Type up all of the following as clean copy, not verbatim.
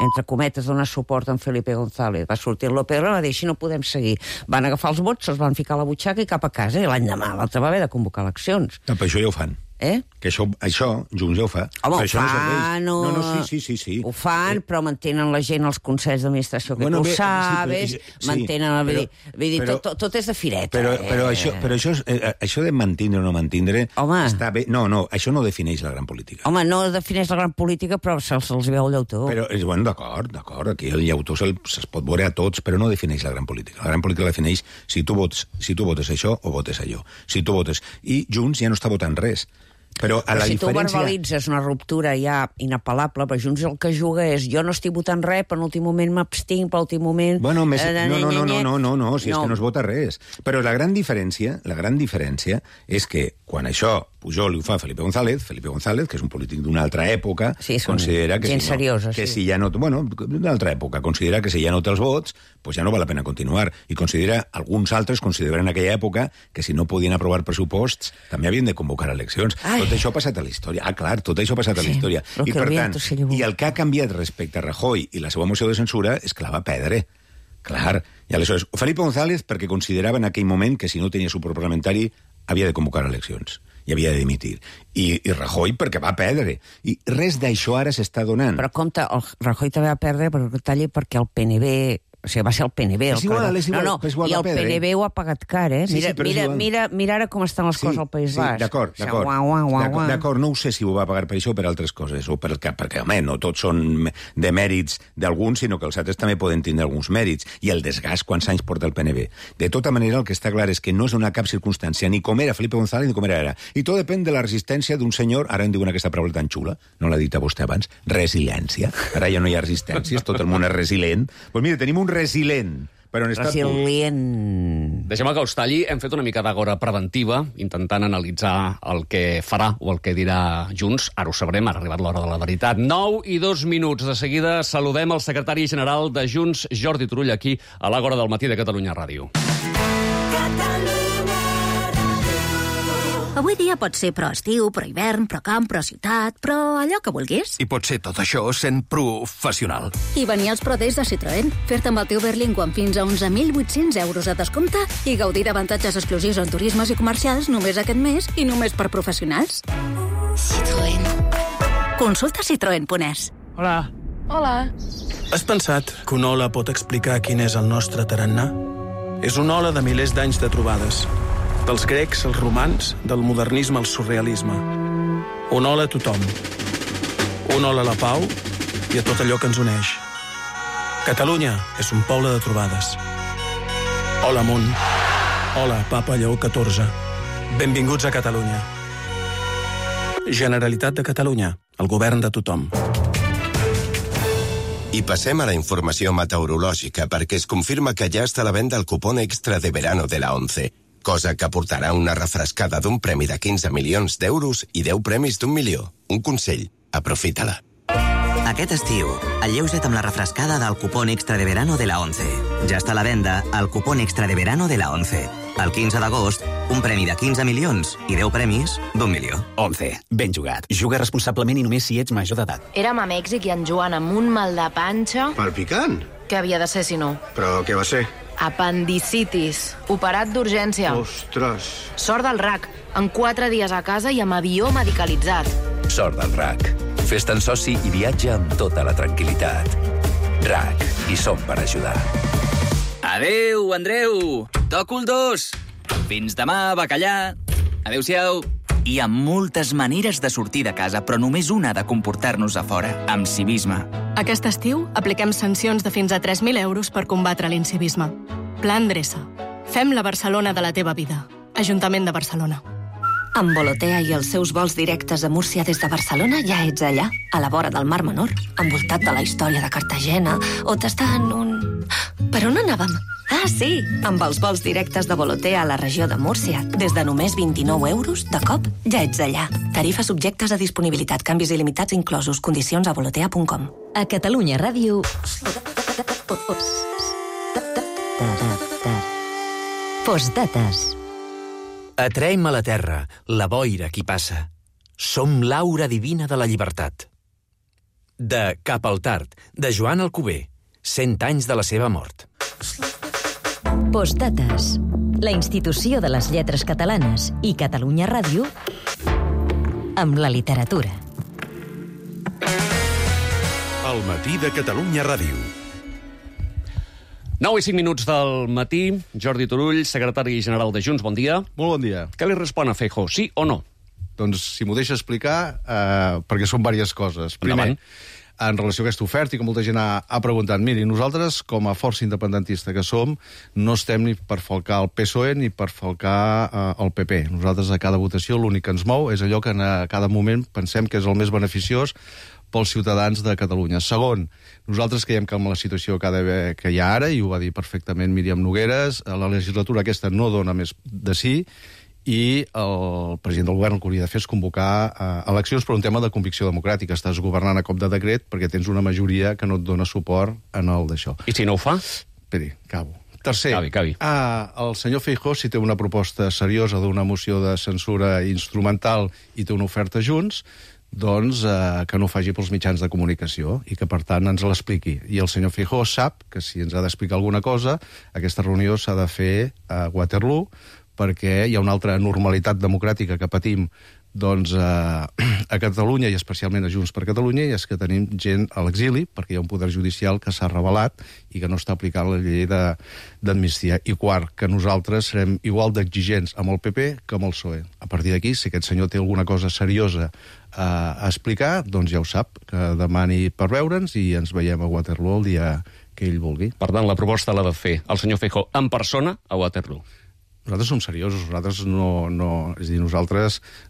entre cometes, donar suport a en Felipe González. Va sortir el López, va dir, així no podem seguir. Van agafar els vots, se'ls van ficar a la butxaca i cap a casa, i l'any demà l'altre va haver de convocar eleccions. No, però això ja ho fan. Que això Junts ja ho fa. Home, ho fan, no, sí. Ho fan, però mantenen la gent als consells d'administració, que tu sabes, mantenen... Vull dir, tot és de fireta. Però això de mantindre o no mantindre està bé. No, això no defineix la gran política. Home, no defineix la gran política, però se'ls veu el llautó. Però, bueno, d'acord, aquí el llautó se'ls pot veure a tots, però no defineix la gran política. La gran política la defineix si tu votes això o votes allò. Si tu votes... I Junts ja no està votant res. Però si tu verbalitzes una ruptura ja inapel·lable, però Junts el que juga és jo no estic votant res, però en l'últim moment m'abstinc, per l'últim moment... Bueno, no, si és que no es vota res. Però la gran diferència és que quan això Pujol ho fa a Felipe González, que és un polític d'una altra època, considera que si ja no... Bueno, d'una altra època, considera que si ja no té els vots, pues ja no val la pena continuar. I alguns altres consideren en aquella època que si no podien aprovar pressuposts també havien de convocar eleccions. Tot això ha passat a la història. Clar, tot això ha passat a la història. I per tant, i el que ha canviat respecte a Rajoy i la seva moció de censura és que la va perdre. Clar, i aleshores, Felipe González perquè considerava en aquell moment que si no tenia suport parlamentari havia de convocar eleccions i havia de dimitir. I Rajoy perquè va perdre. I res d'això ara s'està donant. Però compte, el Rajoy també va perdre perquè el PNB... O sigui, va ser el PNB. És igual, i el PNB ho ha pagat car, Mira ara com estan les coses al País Basc. D'acord, no ho sé si ho va pagar per això o per altres coses, o perquè, home, no tots són de mèrits d'alguns, sinó que els altres també poden tindre alguns mèrits, i el desgast quants anys porta el PNB. De tota manera, el que està clar és que no és una cap circumstància, ni com era Felipe González, ni com era ara. I tot depèn de la resistència d'un senyor, ara en diuen aquesta paraula tan xula, no l'ha dit a vostè abans, resiliència. Ara ja no hi ha resistències, tot el món és resilient. Doncs mira, tenim un resilient, però en estat pur. Deixem que us talli. Hem fet una mica d'agora preventiva, intentant analitzar el que farà o el que dirà Junts. Ara ho sabrem, ha arribat l'hora de la veritat. 9:02. De seguida saludem el secretari general de Junts, Jordi Turull, aquí a l'Àgora del matí de Catalunya Ràdio. Avui dia pot ser pro estiu, pro hivern, pro camp, pro ciutat, pro allò que vulguis. I pot ser tot això sent professional. I venir als Pro Days de Citroën, fer-te amb el teu Berlingo amb fins a 11.800 euros de descompte i gaudir d'avantatges exclusius en turismes i comercials només aquest mes i només per professionals. Citroën. Consulta citroen.es. Hola. Has pensat que una ola pot explicar quin és el nostre tarannà? És una ola de milers d'anys de trobades. Dels grecs als romans, del modernisme al surrealisme. Una ola a tothom. Una ola a la pau i a tot allò que ens uneix. Catalunya és un poble de trobades. Hola, món. Hola, Papa Lleó XIV. Benvinguts a Catalunya. Generalitat de Catalunya, el govern de tothom. I passem a la informació meteorològica perquè es confirma que ja està a la venda el cupón extra de verano de la ONCE, cosa que portarà una refrescada d'un premi de 15 milions d'euros i 10 premis d'1 milió. Un consell, aprofita-la. Aquest estiu, alleuja't amb la refrescada del cupón extra de verano de la ONCE. Ja està a la venda el cupón extra de verano de la ONCE. El 15 d'agost, un premi de 15 milions i 10 premis d'1 milió. ONCE, ben jugat. Juga responsablement i només si ets major d'edat. Érem a Mèxic i en Joan amb un mal de panxa... Palpicant? Què havia de ser, si no? Però què va ser? Apendicitis. Operat d'urgència. Ostres. Sort del RAC. En 4 dies a casa i amb avió medicalitzat. Sort del RAC. Fes-te'n soci i viatja amb tota la tranquil·litat. RAC. Hi som per ajudar. Adéu, Andreu. Toco el 2. Fins demà, bacallà. Adéu-siau. Hi ha moltes maneres de sortir de casa, però només una de comportar-nos a fora, amb civisme. Aquest estiu apliquem sancions de fins a 3.000 euros per combatre l'incivisme. Plan Dreça. Fem la Barcelona de la teva vida. Ajuntament de Barcelona. Amb Volotea i els seus vols directes a Múrcia des de Barcelona ja ets allà, a la vora del Mar Menor, envoltat de la història de Cartagena, o tastant un... Per on anàvem? Ah, sí! Amb els vols directes de Volotea a la regió de Múrcia, des de només 29 euros, de cop, ja ets allà. Tarifes subjectes a disponibilitat, canvis il·limitats inclosos, condicions a volotea.com. A Catalunya Ràdio... Postdates. Atraem a la terra, la boira qui passa. Som l'aura divina de la llibertat. de Cap al Tard, de Joan Alcover. 100 anys de la seva mort. Postdates. La institució de les lletres catalanes i Catalunya Ràdio amb la literatura. El matí de Catalunya Ràdio. 9 i 5 minuts del matí. Jordi Turull, secretari general de Junts, bon dia. Molt bon dia. Què li respon a Feijóo, sí o no? Doncs, si m'ho deixa explicar, perquè són diverses coses. Primer, en relació a aquesta oferta, i que molta gent ha preguntat, miri, nosaltres, com a força independentista que som, no estem ni per falcar el PSOE ni per falcar el PP. Nosaltres, a cada votació, l'únic que ens mou és allò que a cada moment pensem que és el més beneficiós pels ciutadans de Catalunya. Segon, nosaltres creiem que amb la situació que hi ha ara, i ho va dir perfectament Míriam Nogueres, la legislatura aquesta no dona més de sí, i el president del govern el que hauria de fer és convocar eleccions per un tema de convicció democràtica. Estàs governant a cop de decret perquè tens una majoria que no et dona suport en el d'això. I si no ho fa? Esperi, acabo. Tercer, cavi. El senyor Feijóo, si té una proposta seriosa d'una moció de censura instrumental i té una oferta Junts, doncs que no ho faci pels mitjans de comunicació i que, per tant, ens l'expliqui. I el senyor Feijóo sap que si ens ha d'explicar alguna cosa, aquesta reunió s'ha de fer a Waterloo, perquè hi ha una altra normalitat democràtica que patim doncs, a Catalunya, i especialment a Junts per Catalunya, i és que tenim gent a l'exili, perquè hi ha un poder judicial que s'ha revelat i que no està aplicant la llei d'amnistia. I quart, que nosaltres serem igual d'exigents amb el PP que amb el PSOE. A partir d'aquí, si aquest senyor té alguna cosa seriosa a explicar, doncs ja ho sap, que demani per veure'ns i ens veiem a Waterloo el dia que ell vulgui. Per tant, la proposta l'ha de fer el senyor Feijóo en persona a Waterloo. Nosaltres som seriosos, nosaltres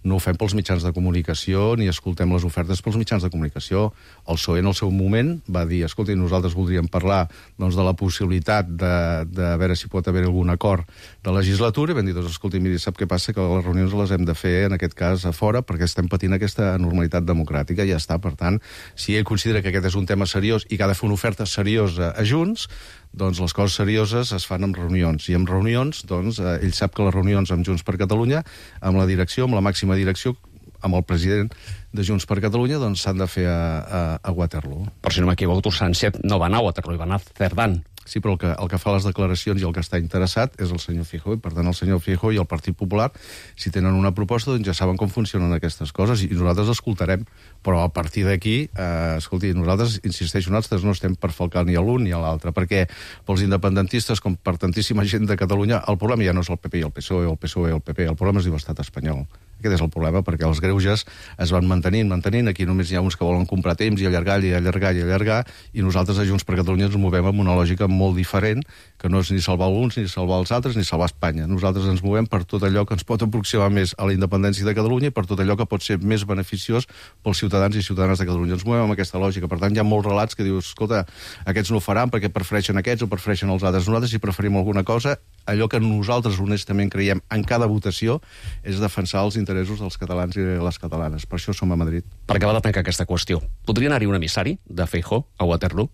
no ho fem pels mitjans de comunicació ni escoltem les ofertes pels mitjans de comunicació. El PSOE en el seu moment va dir, escolta, nosaltres voldríem parlar doncs, de la possibilitat de veure si pot haver algun acord de legislatura, i vam dir, doncs, escolta, miri, sap què passa? Que les reunions les hem de fer, en aquest cas, a fora, perquè estem patint aquesta normalitat democràtica, i ja està. Per tant, si ell considera que aquest és un tema seriós i que ha de fer una oferta seriosa a Junts, doncs les coses serioses es fan en reunions. I en reunions, doncs, ell sap que les reunions amb Junts per Catalunya, amb la direcció, amb la màxima direcció, amb el president de Junts per Catalunya, doncs s'han de fer a Waterloo. Per si no m'equivoco, Sánchez no va anar a Waterloo, va anar a Cerdán. Sí, però el que fa les declaracions i el que està interessat és el senyor Feijóo, i per tant el senyor Feijóo i el Partit Popular, si tenen una proposta, doncs ja saben com funcionen aquestes coses, i nosaltres escoltarem. Però a partir d'aquí, escolti, nosaltres, insisteixo, nosaltres no estem per falcar ni a l'un ni a l'altre, perquè pels independentistes, com per tantíssima gent de Catalunya, el problema ja no és el PP i el PSOE, el PSOE i el PP, el problema es diu Estat espanyol. Aquest és el problema, perquè els greuges es van mantenint. Aquí només hi ha uns que volen comprar temps i allargar, i nosaltres a Junts per Catalunya ens movem amb una lògica molt diferent, que no és ni salvar uns, ni salvar els altres, ni salvar Espanya. Nosaltres ens movem per tot allò que ens pot aproximar més a la independència de Catalunya i per tot allò que pot ser més beneficiós pels ciutadans i ciutadanes de Catalunya. Ens movem amb aquesta lògica. Per tant, hi ha molts relats que dius, escolta, aquests no ho faran perquè prefereixen aquests o prefereixen els altres. Nosaltres, si preferim alguna cosa, allò que nosaltres honestament creiem en cada votació és defensar els interessos dels catalans i les catalanes. Per això som a Madrid. Per acabar de tancar aquesta qüestió, podria anar-hi un emissari de Feijóo a Waterloo?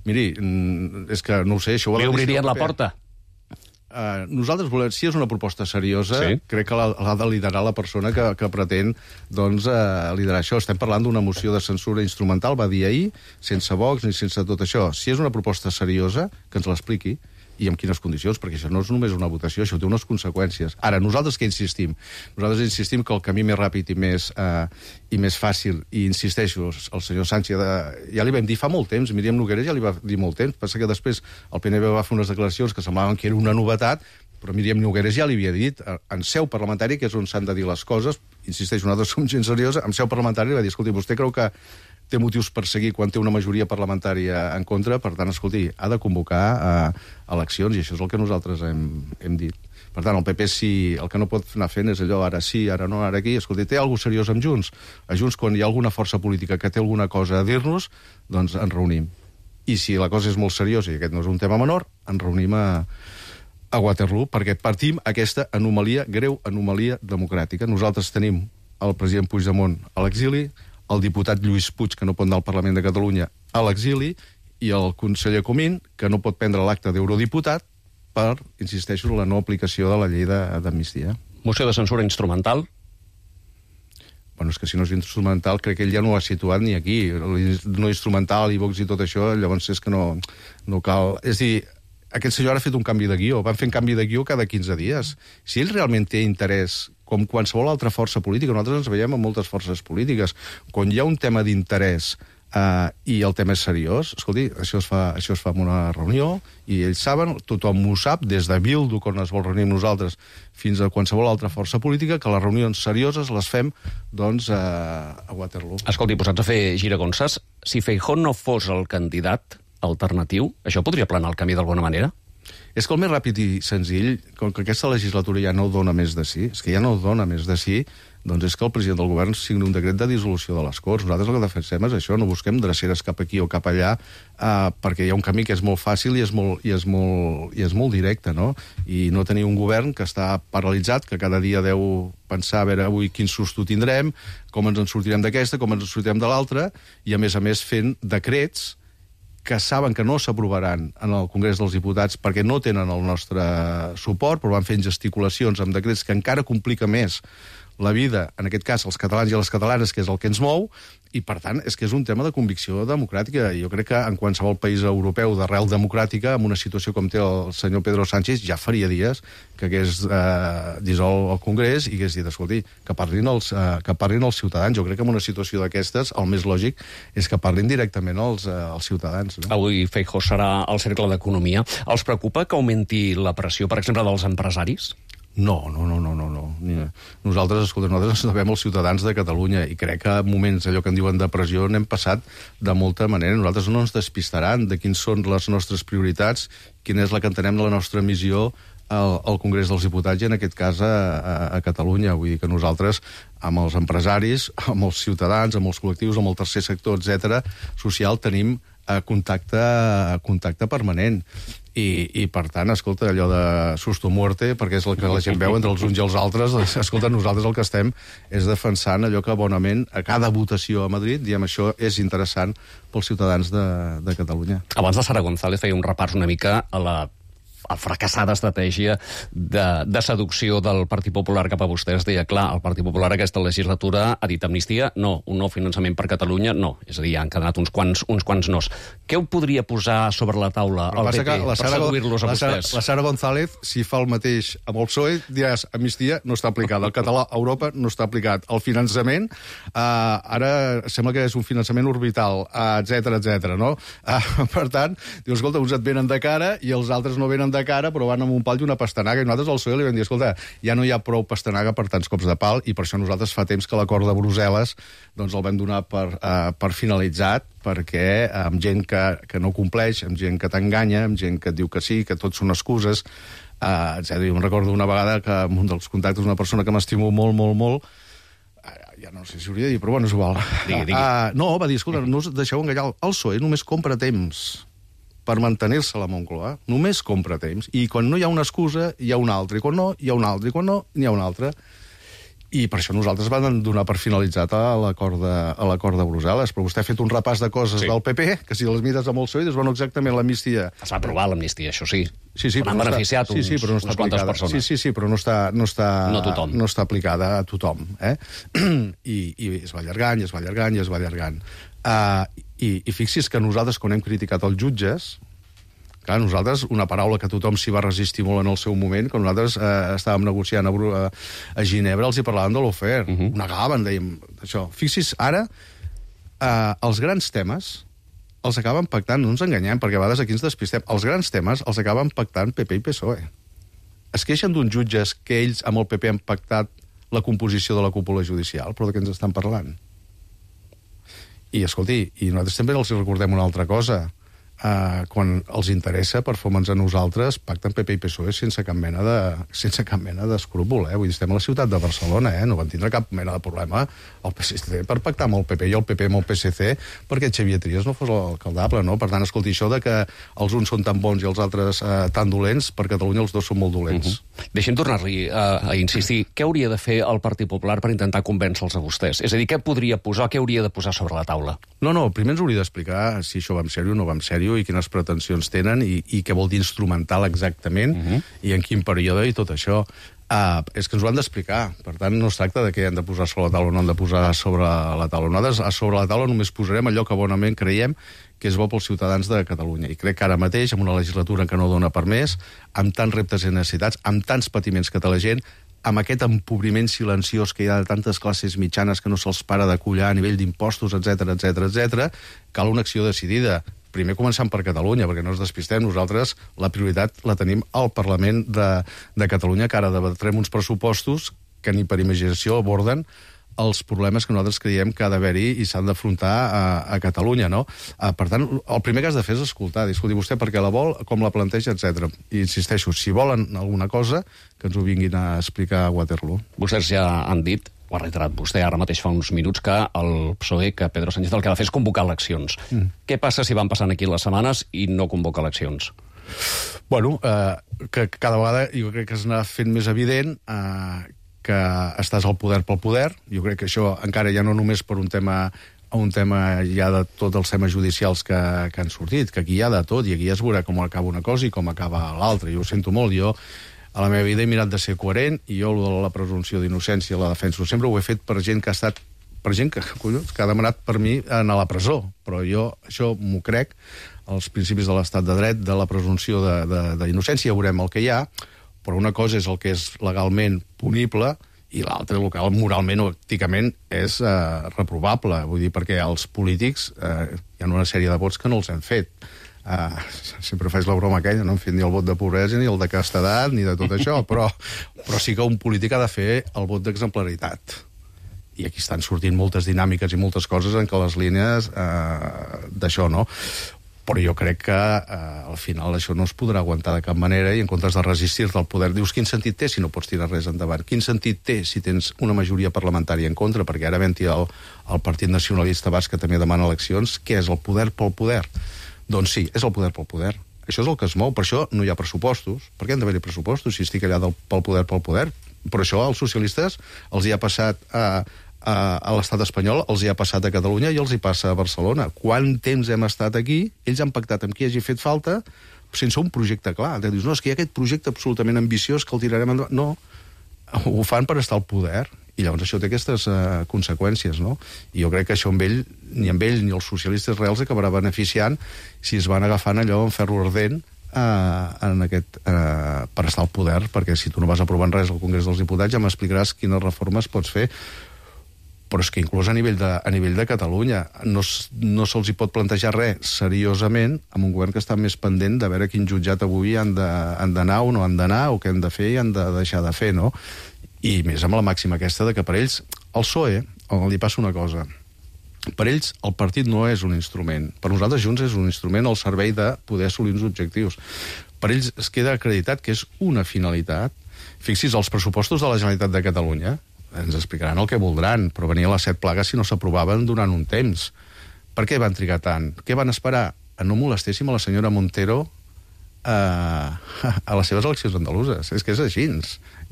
Miri, és que no ho sé, això ho ha de... Li obririen la porta? Nosaltres volem, si és una proposta seriosa, crec que l'ha de liderar la persona que pretén doncs, liderar això. Estem parlant d'una moció de censura instrumental, va dir ahir, sense Vox ni sense tot això. Si és una proposta seriosa, que ens l'expliqui, i en quines condicions, perquè això no és només una votació, això té unes conseqüències. Ara, nosaltres què insistim? Nosaltres insistim que el camí més ràpid i més fàcil, i insisteixo, el senyor Sánchez, ja li vam dir fa molt temps, Míriam Nogueres ja li va dir molt temps, passa que després el PNB va fer unes declaracions que semblaven que era una novetat, però Míriam Nogueres ja li havia dit, en seu parlamentària, que és on s'han de dir les coses, insisteixo, nosaltres som gent seriosa, en seu parlamentària li va dir, escolti, vostè creu que té motius per seguir quan té una majoria parlamentària en contra, per tant, escolti, ha de convocar eleccions, i això és el que nosaltres hem dit. Per tant, el PP, si el que no pot anar fent és allò, ara sí, ara no, ara aquí, escolti, té alguna cosa seriós amb Junts? A Junts, quan hi ha alguna força política que té alguna cosa a dir-nos, doncs ens reunim. I si la cosa és molt seriosa, i aquest no és un tema menor, ens reunim a Waterloo, perquè partim aquesta anomalia, greu anomalia democràtica. Nosaltres tenim el president Puigdemont a l'exili, el diputat Lluís Puig, que no pot anar al Parlament de Catalunya, a l'exili, i el conseller Comín, que no pot prendre l'acte d'eurodiputat per, insisteixo, la no aplicació de la llei d'amnistia. Moció de censura instrumental? Bueno, és que si no és instrumental, crec que ell ja no ho ha situat ni aquí. No instrumental, iVox i tot això, llavors és que no cal... És a dir, aquest senyor ha fet un canvi de guió. Van fent canvi de guió cada 15 dies. Si ell realment té interès, com qualsevol altra força política, nosaltres ens veiem amb moltes forces polítiques, quan hi ha un tema d'interès i el tema és seriós, escolti, això es fa en una reunió i ells saben, tothom ho sap, des de Bildu, quan es vol reunir amb nosaltres, fins a qualsevol altra força política, que les reunions serioses les fem, doncs, a Waterloo. Escolti, posats a fer giragonses, si Feijóo no fos el candidat alternatiu, això podria planar el camí d'alguna manera? És que el més ràpid i senzill, com que aquesta legislatura ja no dona més de sí, és que ja no dona més de sí, doncs és que el president del govern signi un decret de dissolució de les Corts. Nosaltres el que defensem és això, no busquem dreceres cap aquí o cap allà, perquè hi ha un camí que és molt fàcil i és molt directe, no? I no tenir un govern que està paralitzat, que cada dia deu pensar a veure avui quin susto tindrem, com ens en sortirem d'aquesta, com ens en sortirem de l'altra, i a més fent decrets que saben que no s'aprovaran en el Congrés dels Diputats perquè no tenen el nostre suport, però van fent gesticulacions amb decrets que encara complica més la vida, en aquest cas, els catalans i les catalanes, que és el que ens mou, i, per tant, és que és un tema de convicció democràtica. Jo crec que en qualsevol país europeu d'arrel democràtica, amb una situació com té el senyor Pedro Sánchez, ja faria dies que hagués dissolt el Congrés i hagués dit, escolti, que parlin els ciutadans. Jo crec que en una situació d'aquestes, el més lògic és que parlin directament els ciutadans. No? Avui Feijóo serà al Cercle d'Economia. Els preocupa que augmenti la pressió, per exemple, dels empresaris? No. Nosaltres ens devem els ciutadans de Catalunya i crec que en moments, allò que en diuen de pressió, n'hem passat de molta manera. Nosaltres no ens despistaran de quins són les nostres prioritats, quina és la que entenem de la nostra missió al Congrés dels Diputats i en aquest cas a Catalunya. Vull dir que nosaltres amb els empresaris, amb els ciutadans, amb els col·lectius, amb el tercer sector, etc., social, tenim contacte permanent. I, per tant, escolta, allò de susto muerte, perquè és el que la gent veu entre els uns i els altres, escolta, nosaltres el que estem és defensant allò que bonament a cada votació a Madrid, diem, això és interessant pels ciutadans de Catalunya. Abans la Sara González feia un repàs una mica a la fracassada estratègia de seducció del Partit Popular cap a vostès. Deia, clar, el Partit Popular aquesta legislatura ha dit amnistia, no, un nou finançament per Catalunya, no. És a dir, han quedat uns quants nos. Què ho podria posar sobre la taula el PP per seduir-los a vostès? La Sara González, si fa el mateix amb el PSOE, diràs, amnistia no està aplicada. El català a Europa no està aplicat. El finançament, ara sembla que és un finançament orbital, etc, no? Per tant, dius, escolta, uns et venen de cara i els altres no venen de cara, però van amb un pal i una pastanaga, i nosaltres al PSOE li vam dir, escolta, ja no hi ha prou pastanaga per tants cops de pal, i per això nosaltres fa temps que l'acord de Brussel·les doncs el vam donar per finalitzat, perquè amb gent que no compleix, amb gent que t'enganya, amb gent que et diu que sí, que tot són excuses, etc. Jo em recordo una vegada que en un dels contactes una persona que m'estimo molt, ja no sé si hauria de dir, però bueno, és igual. Digui. No, va dir, escolta, no us deixeu enganyar, el PSOE només compra temps per mantenir-se a la Moncloa, només compra temps, i quan no hi ha una excusa, hi ha una altra, i quan no, hi ha una altra, i quan no, n'hi ha una altra. I per això nosaltres vam donar per finalitzat a l'acord de Brussel·les. Però vostè ha fet un repàs de coses del PP, que si les mires amb el PSOE, dius, bueno, exactament l'amnistia... Es va aprovar l'amnistia, això sí. Sí, però han beneficiat unes quantes persones. Sí, però no tothom. No està aplicada a tothom. I es va allargant. I fixi's que nosaltres, quan hem criticat els jutges, clar, nosaltres, una paraula que tothom s'hi va resistir molt en el seu moment, quan nosaltres estàvem negociant a Ginebra, els hi parlàvem de l'ofer. Ho negaven, dèiem, això. Fixi's, ara, els grans temes els acaben pactant, no ens enganyem, perquè a vegades aquí ens despistem, els grans temes els acaben pactant PP i PSOE. Es queixen d'uns jutges que ells amb el PP han pactat la composició de la cúpula judicial, però de què ens estan parlant? I, escolti, i nosaltres també els recordem una altra cosa. Quan els interessa, per fòmens a nosaltres, pacten PP i PSOE sense cap mena d'escrúpol. Vull dir, estem a la ciutat de Barcelona, no van tindre cap mena de problema el PSC per pactar amb el PP i el PP amb el PSC perquè Xavier Trias no fos l'alcaldable, no? Per tant, escolti, això de que els uns són tan bons i els altres tan dolents, per Catalunya els dos són molt dolents. Deixem tornar-li a insistir. Què hauria de fer el Partit Popular per intentar convèncer-los a vostès? És a dir, què podria posar, què hauria de posar sobre la taula? No, primer ens hauria d'explicar si això va en sèrio o no va en sèrio i quines pretensions tenen i què vol dir instrumental exactament i en quin període i tot això. És que ens ho han d'explicar. Per tant, no es tracta de què han de posar sobre la taula o no han de posar sobre la taula. Nosaltres sobre la taula només posarem allò que bonament creiem que és bo pels ciutadans de Catalunya. I crec que ara mateix, amb una legislatura que no dona per més, amb tants reptes i necessitats, amb tants patiments que té la gent, amb aquest empobriment silenciós que hi ha de tantes classes mitjanes que no se'ls para de collar a nivell d'impostos, etc, cal una acció decidida. Primer començant per Catalunya, perquè no ens despistem. Nosaltres la prioritat la tenim al Parlament de Catalunya, que ara debatrem uns pressupostos que ni per imaginació aborden els problemes que nosaltres creiem que ha d'haver-hi i s'han d'afrontar a Catalunya, no? Per tant, el primer que has de fer és escoltar, discutir vostè perquè la vol, com la planteja, etc. I insisteixo, si volen alguna cosa, que ens ho vinguin a explicar a Waterloo. Vostès ja han dit, ho ha reiterat vostè ara mateix fa uns minuts, que el PSOE, que Pedro Sánchez el que ha de fer és convocar eleccions. Què passa si van passant aquí les setmanes i no convoca eleccions? Bueno, que cada vegada jo crec que s'anirà fent més evident que estàs al poder pel poder. Jo crec que això encara ja no només per un tema ja de tots els temes judicials que han sortit, que aquí hi ha de tot, i aquí ja es veurà com acaba una cosa i com acaba l'altra. Jo ho sento molt, jo a la meva vida he mirat de ser coherent i jo la presumpció d'innocència la defenso. Sempre ho he fet per gent que ha estat, per gent que ha demanat per mi anar a la presó, però jo això m'ho crec, els principis de l'estat de dret, de la presumpció d'innocència, ja veurem el que hi ha, però una cosa és el que és legalment punible i l'altra, el que moralment o èticament és reprovable. Vull dir, perquè els polítics hi ha una sèrie de vots que no els hem fet. Sempre faig la broma aquella, no hem fet ni el vot de pobresa, ni el de castedat, ni de tot això, però sí que un polític ha de fer el vot d'exemplaritat. I aquí estan sortint moltes dinàmiques i moltes coses en què les línies d'això, no? Però jo crec que al final això no es podrà aguantar de cap manera i en comptes de resistir-te al poder dius quin sentit té si no pots tirar res endavant, quin sentit té si tens una majoria parlamentària en contra, perquè ara havent-hi el Partit Nacionalista Basc que també demana eleccions, què és el poder pel poder? Doncs sí, és el poder pel poder. Això és el que es mou, per això no hi ha pressupostos. Per què han d'haver-hi pressupostos si estic allà pel poder? Per això als socialistes els hi ha passat a l'estat espanyol, els hi ha passat a Catalunya i els hi passa a Barcelona. Quant temps hem estat aquí, ells han pactat amb qui hagi fet falta sense un projecte clar. Dius, no, és que hi ha aquest projecte absolutament ambiciós que el tirarem endavant. No, ho fan per estar al poder i llavors això té aquestes conseqüències, no? I jo crec que això ni els socialistes reals acabarà beneficiant si es van agafant allò en ferro ardent per estar al poder, perquè si tu no vas aprovant res al Congrés dels Diputats ja m'explicaràs quines reformes pots fer. Però és que inclús a nivell de Catalunya no se'ls hi pot plantejar res seriosament amb un govern que està més pendent de veure quin jutjat avui han d'anar o no han d'anar, o què han de fer i han de deixar de fer, no? I més amb la màxima aquesta de que per ells el PSOE, li passa una cosa, per ells el partit no és un instrument, per nosaltres Junts és un instrument al servei de poder assolir uns objectius. Per ells es queda acreditat que és una finalitat. Fixis, els pressupostos de la Generalitat de Catalunya ens explicaran el que voldran, però venien les 7 plagues si no s'aprovaven durant un temps. Per què van trigar tant? Què van esperar? A no molestéssim a la senyora Montero a les seves eleccions andaluses. És que és així.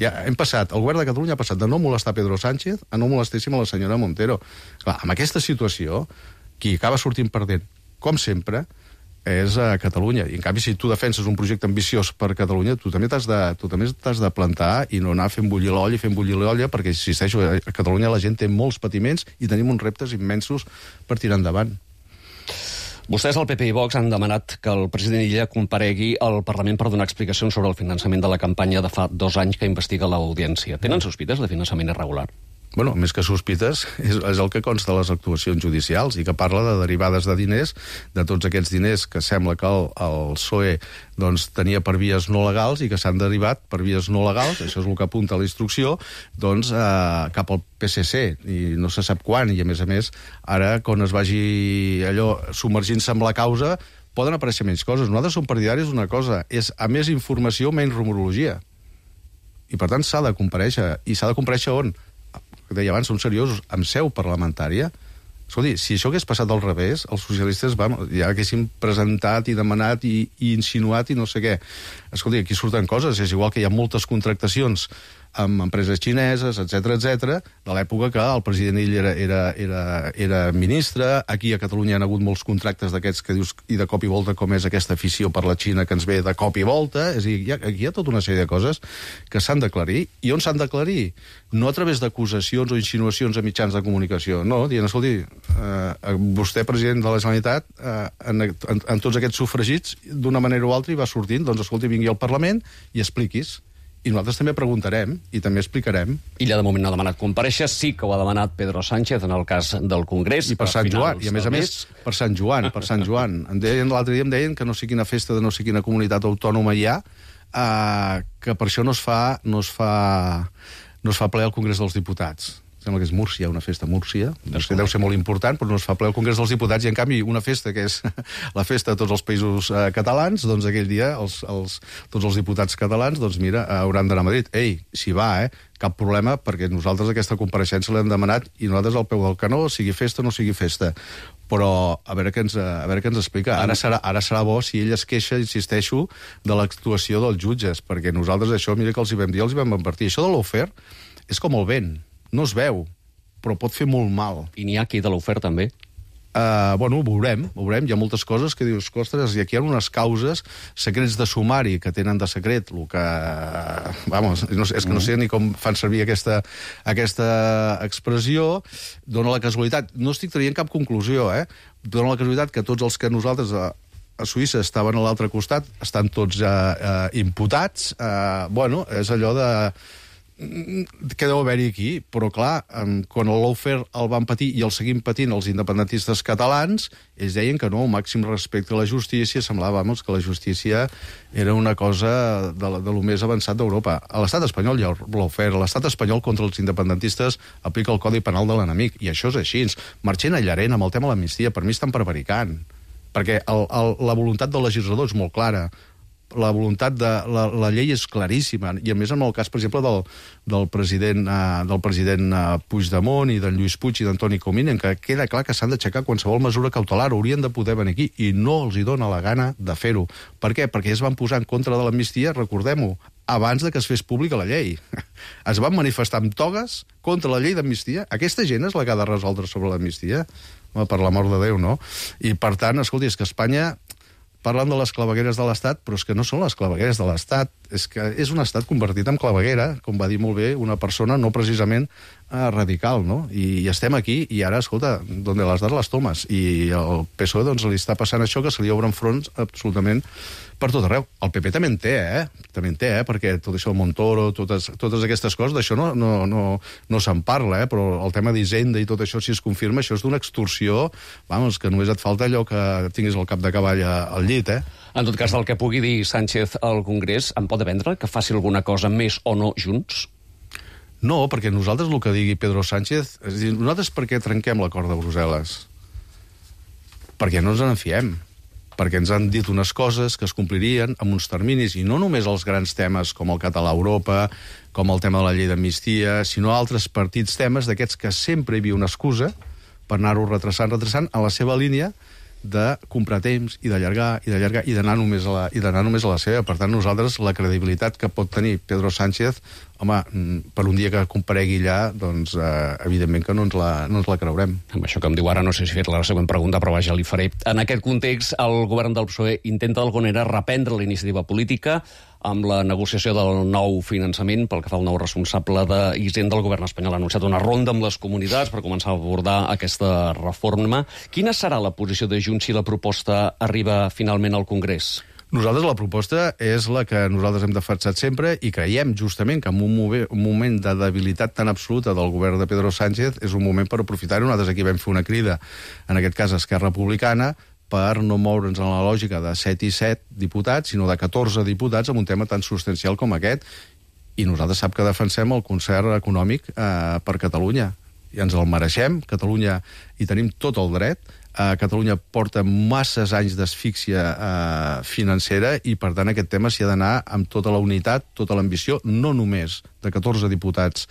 Ja hem passat, el govern de Catalunya ha passat de no molestar Pedro Sánchez a no molestéssim a la senyora Montero. Clar, amb aquesta situació, qui acaba sortint perdent, com sempre, és a Catalunya. I en canvi, si tu defenses un projecte ambiciós per Catalunya, tu també t'has de plantar i no anar fent bullir l'olla, perquè, insisteixo, a Catalunya la gent té molts patiments i tenim uns reptes immensos per tirar endavant. Vostès, el PP i Vox, han demanat que el president Illa comparegui al Parlament per donar explicacions sobre el finançament de la campanya de fa 2 anys que investiga l'Audiència. Tenen sospites de finançament irregular? Bueno, més que sospites, és el que consta de les actuacions judicials i que parla de derivades de diners, de tots aquests diners que sembla que el PSOE tenia per vies no legals i que s'han derivat per vies no legals, això és el que apunta la instrucció, cap al PSC, i no se sap quan, i a més, ara, quan es vagi allò submergint-se amb la causa, poden aparèixer menys coses. Nosaltres som partidaris d'una cosa, és a més informació, menys rumorologia. I per tant s'ha de comparèixer. I s'ha de comparèixer on? Que deia abans, són seriosos, amb seu parlamentària. Escolti, si això hagués passat al revés, els socialistes ja haguessin presentat i demanat i insinuat i no sé què. Escolti, aquí surten coses, és igual que hi ha moltes contractacions amb empreses xineses, etc, de l'època que el president ell era ministre. Aquí a Catalunya hi ha hagut molts contractes d'aquests que dius i de cop i volta, com és aquesta afició per la Xina que ens ve de cop i volta. És a dir, aquí hi ha tota una sèrie de coses que s'han d'aclarir. I on s'han d'aclarir? No a través d'acusacions o insinuacions a mitjans de comunicació, no, dient, escolti, vostè, president de la Generalitat, en tots aquests sufragits, d'una manera o altra, hi va sortint, doncs, escolti, vingui al Parlament i expliquis. I nosaltres també preguntarem i també explicarem. Illa de moment no ha demanat comparèixer, sí que ho ha demanat Pedro Sánchez en el cas del Congrés. I per Sant Joan, i a més, per Sant Joan. L'altre dia em deien que no sé quina festa de no sé quina comunitat autònoma hi ha, que per això no es fa ple al Congrés dels Diputats. Sembla que és Múrcia, una festa a Múrcia. Deu ser molt important, però no es fa ple al Congrés dels Diputats. I, en canvi, una festa que és la festa de tots els països catalans, doncs aquell dia tots els diputats catalans, doncs mira, hauran d'anar a Madrid. Ei, s'hi va, cap problema, perquè nosaltres aquesta compareixença l'hem demanat i nosaltres al peu del canó, sigui festa o no sigui festa. Però a veure què ens explica. Ara serà bo si ell es queixa, insisteixo, de l'actuació dels jutges, perquè nosaltres això, mira que els hi vam dir, els hi vam advertir. Això de l'ofer és com el vent. No es veu, però pot fer molt mal. I n'hi ha aquí de l'oferta, també? Bueno, ho veurem. Hi ha moltes coses que dius, ostres, i aquí hi ha unes causes, secrets de sumari que tenen de secret, el que... Vamos, és que no sé ni com fan servir aquesta expressió. Dóna la casualitat. No estic traient cap conclusió, Dóna la casualitat que tots els que nosaltres a Suïssa estaven a l'altre costat estan tots imputats. Bueno, és allò de... que deu haver-hi aquí, però clar, quan el lawfare el van patir i el seguim patint els independentistes catalans, ells deien que no, màxim respecte a la justícia, semblava, que la justícia era una cosa de lo més avançat d'Europa. A l'estat espanyol hi ha lawfare, a l'estat espanyol contra els independentistes aplica el Codi Penal de l'enemic, i això és així. Marchena i Llarena, amb el tema de l'amnistia, per mi estan prevaricant, perquè la voluntat del legislador és molt clara, la voluntat de... La llei és claríssima, i a més en el cas, per exemple, del president Puigdemont i d'en Lluís Puig i d'Antoni Comín, en què queda clar que s'han d'aixecar qualsevol mesura cautelar, haurien de poder venir aquí, i no els hi dona la gana de fer-ho. Per què? Perquè es van posar en contra de l'amnistia, recordem-ho, abans de que es fes pública la llei. Es van manifestar amb togues contra la llei d'amnistia. Aquesta gent és la que ha de resoldre sobre l'amnistia? Per l'amor de Déu, no? I, per tant, escolti, és que Espanya... Parlen de les clavegueres de l'Estat, però és que no són les clavegueres de l'Estat. És que és un estat convertit en claveguera, com va dir molt bé una persona no precisament radical, no? I estem aquí, i ara, escolta, donde las das las tomas. I el PSOE, doncs, li està passant això, que se li obren fronts absolutament per tot arreu. El PP també en té, També en té, perquè tot això, el Montoro, totes aquestes coses, d'això no se'n parla, però el tema d'Hisenda i tot això, si es confirma, això és d'una extorsió, vamos, que només et falta allò que tinguis el cap de cavall al llit, En tot cas, del que pugui dir Sánchez al Congrés, en pot dependre que faci alguna cosa més o no junts? No, perquè nosaltres el que digui Pedro Sánchez... És a dir, nosaltres per què trenquem l'acord de Brussel·les? Perquè no ens en fiem. Perquè ens han dit unes coses que es complirien amb uns terminis, i no només els grans temes com el català a Europa, com el tema de la llei d'amnistia, sinó altres partits temes d'aquests que sempre hi havia una excusa per anar-ho retrasant a la seva línia de comprar temps i d'allargar i d'anar només a la seva. Per tant, nosaltres, la credibilitat que pot tenir Pedro Sánchez, home, per un dia que comparegui allà, doncs, evidentment que no ens la creurem. Amb això que em diu ara, no sé si he fet la següent pregunta, però vaja, li faré. En aquest context, el govern del PSOE intenta d'alguna manera reprendre la iniciativa política amb la negociació del nou finançament pel que fa al nou responsable d'Hisenda del govern espanyol. Ha anunciat una ronda amb les comunitats per començar a abordar aquesta reforma. Quina serà la posició de Junts si la proposta arriba finalment al Congrés? Nosaltres la proposta és la que nosaltres hem defensat sempre i creiem justament que en un moment de debilitat tan absoluta del govern de Pedro Sánchez és un moment per aprofitar-ho. Nosaltres aquí vam fer una crida, en aquest cas Esquerra Republicana, per no moure'ns en la lògica de 7 i 7 diputats, sinó de 14 diputats amb un tema tan substancial com aquest. I nosaltres sap que defensem el concert econòmic per Catalunya. I ens el mereixem. Catalunya hi tenim tot el dret. Catalunya porta masses anys d'asfíxia financera i, per tant, aquest tema s'hi ha d'anar amb tota la unitat, tota l'ambició, no només de 14 diputats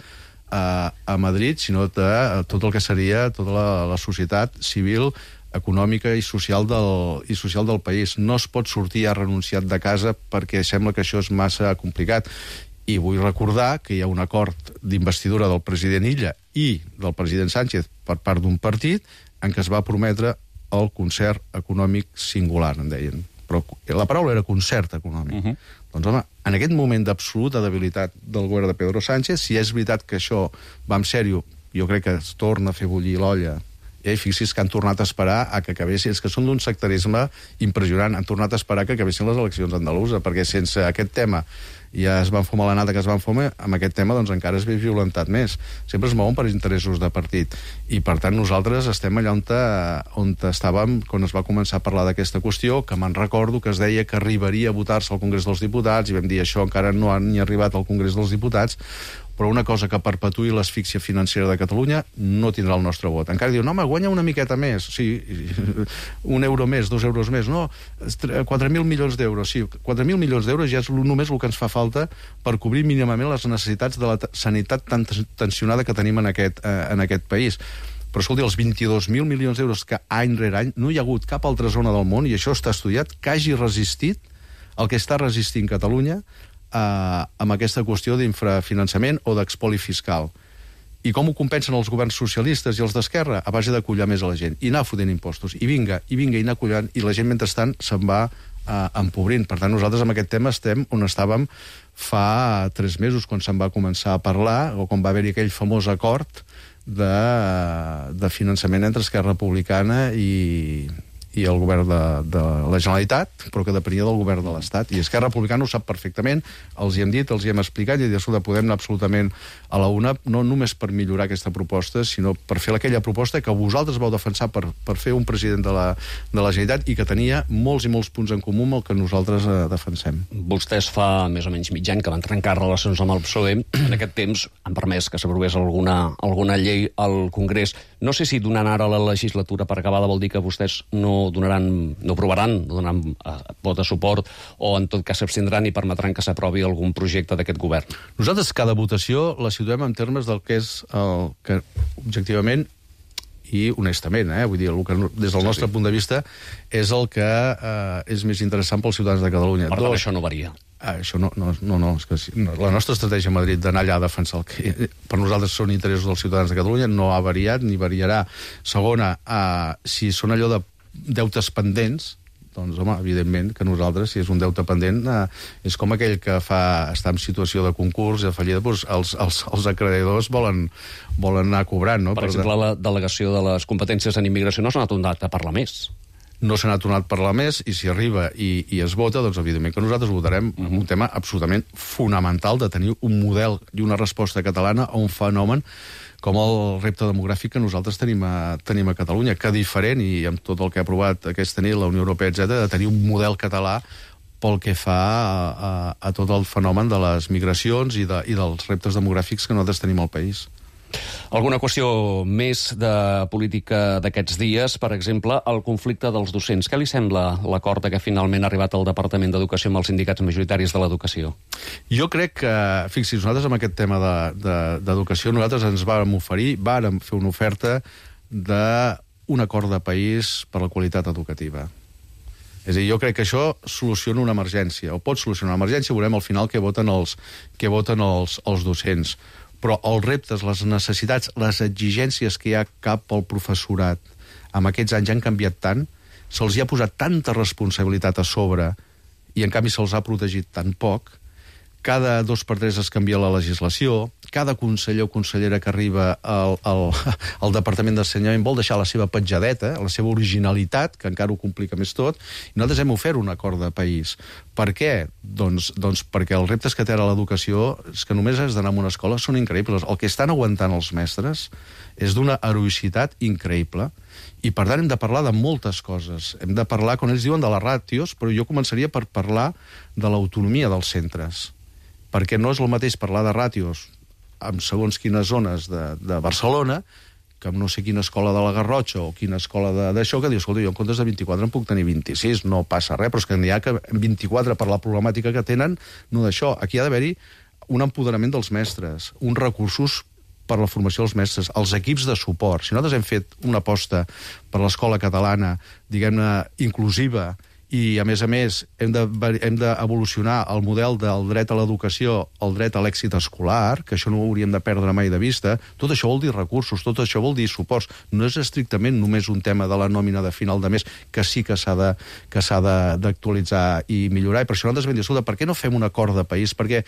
a Madrid, sinó de tot el que seria tota la societat civil, econòmica i social del país. No es pot sortir ja renunciat de casa perquè sembla que això és massa complicat. I vull recordar que hi ha un acord d'investidura del president Illa i del president Sánchez per part d'un partit en què es va prometre el concert econòmic singular, en deien. Però la paraula era concert econòmic. Doncs, home, en aquest moment d'absoluta debilitat del govern de Pedro Sánchez, si és veritat que això va en sèrio, jo crec que es torna a fer bullir l'olla. Fixi's que han tornat a esperar a que acabessin, és que són d'un sectarisme impressionant, han tornat a esperar que acabessin les eleccions andaluses, perquè sense aquest tema ja es van fumar la nata que es van fumar, amb aquest tema doncs encara es ve violentat més. Sempre es mouen per interessos de partit. I per tant nosaltres estem allà on estàvem quan es va començar a parlar d'aquesta qüestió, que me'n recordo que es deia que arribaria a votar-se al Congrés dels Diputats, i vam dir això encara no ha ni arribat al Congrés dels Diputats, però una cosa que perpetuï l'asfíxia financera de Catalunya no tindrà el nostre vot. Encara diu, no, home, guanya una miqueta més. Sí, €1 més, €2 més. No, 4.000 milions d'euros. Sí, 4.000 milions d'euros ja és només el que ens fa falta per cobrir mínimament les necessitats de la sanitat tan tensionada que tenim en aquest país. Però, escolti, els 22.000 milions d'euros que any rere any no hi ha hagut cap altra zona del món, i això està estudiat, que hagi resistit el que està resistint Catalunya amb aquesta qüestió d'infrafinançament o d'expoli fiscal. I com ho compensen els governs socialistes i els d'Esquerra? A base de collar més a la gent i anar fotent impostos. I vinga, i anar collant, i la gent mentrestant se'n va empobrint. Per tant, nosaltres amb aquest tema estem on estàvem fa 3 mesos, quan se'n va començar a parlar, o quan va haver-hi aquell famós acord de finançament entre Esquerra Republicana i el govern de la Generalitat, però que depenia del govern de l'Estat. I Esquerra Republicana ho sap perfectament, els hi hem dit, els hi hem explicat, i podem anar absolutament a la una, no només per millorar aquesta proposta, sinó per fer aquella proposta que vosaltres vau defensar per fer un president de la Generalitat i que tenia molts i molts punts en comú amb el que nosaltres defensem. Vostès fa més o menys mig any que van trencar relacions amb el PSOE. En aquest temps han permès que s'aprovés alguna llei al Congrés. No sé si donant ara la legislatura per acabada vol dir que vostès no donaran vot de suport, o en tot cas s'abstindran i permetran que s'aprovi algun projecte d'aquest govern. Nosaltres cada votació la situem en termes del que és el que objectivament i honestament, vull dir, el que des del nostre punt de vista és el que és més interessant pels ciutadans de Catalunya. Per tant, això no varia. Això no, és que la nostra estratègia a Madrid d'anar allà a defensar el que per nosaltres són interessos dels ciutadans de Catalunya no ha variat ni variarà. Segona, si són allò de deutes pendents, doncs, home, evidentment que nosaltres, si és un deute pendent, és com aquell que està en situació de concurs, de fallida, doncs els acreedors volen anar cobrant, no? Per exemple, la delegació de les competències en immigració no s'ha tornat a parlar més. No s'ha tornat a parlar més, i si arriba i es vota, doncs evidentment que nosaltres votarem un tema absolutament fonamental de tenir un model i una resposta catalana a un fenomen com el repte demogràfic que nosaltres tenim a Catalunya, que diferent, i amb tot el que ha aprovat aquesta nit la Unió Europea, etc., de tenir un model català pel que fa a tot el fenomen de les migracions i dels reptes demogràfics que nosaltres tenim al país. Alguna qüestió més de política d'aquests dies, per exemple, el conflicte dels docents. Què li sembla l'acord que finalment ha arribat al Departament d'Educació amb els sindicats majoritaris de l'educació? Jo crec que, fixi's, nosaltres amb aquest tema d'educació, nosaltres ens vàrem fer una oferta d'un acord de país per la qualitat educativa. És a dir, jo crec que això soluciona una emergència, o pot solucionar una emergència, veurem al final què voten els docents. Però els reptes, les necessitats, les exigències que hi ha cap al professorat amb aquests anys han canviat tant, se'ls ha posat tanta responsabilitat a sobre i en canvi se'ls ha protegit tan poc. Cada 2 per 3 es canvia la legislació, cada conseller o consellera que arriba al Departament d'Ensenyament vol deixar la seva petjadeta, la seva originalitat, que encara ho complica més tot, i nosaltres hem ofert un acord de país. Per què? Doncs perquè els reptes que té ara l'educació, és que només has d'anar a una escola, són increïbles. El que estan aguantant els mestres és d'una heroïcitat increïble, i per tant hem de parlar de moltes coses. Hem de parlar, quan ells diuen, de les ràtios, però jo començaria per parlar de l'autonomia dels centres, perquè no és el mateix parlar de ràtios en segons quines zones de Barcelona, que en no sé quina escola de la Garrotxa o quina escola d'això, que diu, escolta, jo en comptes de 24 en puc tenir 26, no passa res, però és que n'hi ha que 24 per la problemàtica que tenen, no d'això. Aquí ha d'haver-hi un empoderament dels mestres, uns recursos per la formació dels mestres, els equips de suport. Si nosaltres hem fet una aposta per l'escola catalana, diguem-ne, inclusiva, i, a més, hem d'evolucionar el model del dret a l'educació, el dret a l'èxit escolar, que això no ho hauríem de perdre mai de vista. Tot això vol dir recursos, tot això vol dir suports. No és estrictament només un tema de la nòmina de final de mes, que sí que s'ha d'actualitzar i millorar. I per això nosaltres vam dir, escolta, per què no fem un acord de país? Perquè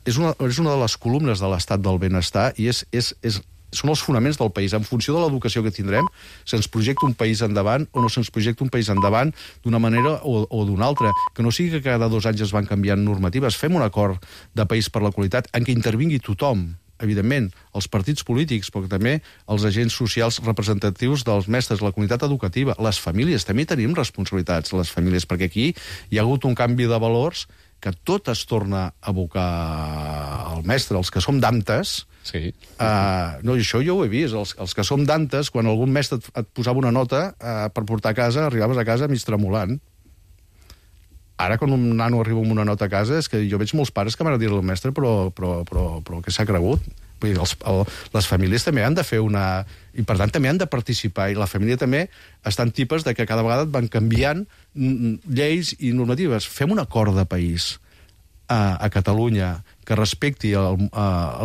és una de les columnes de l'estat del benestar i són els fonaments del país. En funció de l'educació que tindrem, se'ns projecta un país endavant o no se'ns projecta un país endavant d'una manera o d'una altra. Que no sigui que cada 2 anys es van canviant normatives. Fem un acord de país per la qualitat en què intervingui tothom, evidentment, els partits polítics, però també els agents socials representatius dels mestres, la comunitat educativa, les famílies. També tenim responsabilitats, les famílies, perquè aquí hi ha hagut un canvi de valors que tot es torna a abocar al mestre. Els que som d'antes... Sí. No, això jo ho he vist. Els que som d'antes, quan algun mestre et posava una nota per portar a casa, arribaves a casa mig tremolant. Ara, quan un nano arriba amb una nota a casa, és que jo veig molts pares que van a dir-li al mestre, però què s'ha cregut? Vull dir, les famílies també han de fer una... I, per tant, també han de participar. I la família també estan tipes de que cada vegada et van canviant lleis i normatives. Fem un acord de país a Catalunya que respecti a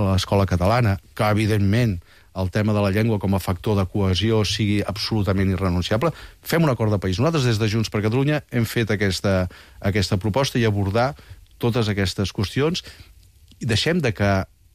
l'escola catalana, que, evidentment, el tema de la llengua com a factor de cohesió sigui absolutament irrenunciable. Fem un acord de país. Nosaltres, des de Junts per Catalunya, hem fet aquesta proposta i abordar totes aquestes qüestions. I deixem de que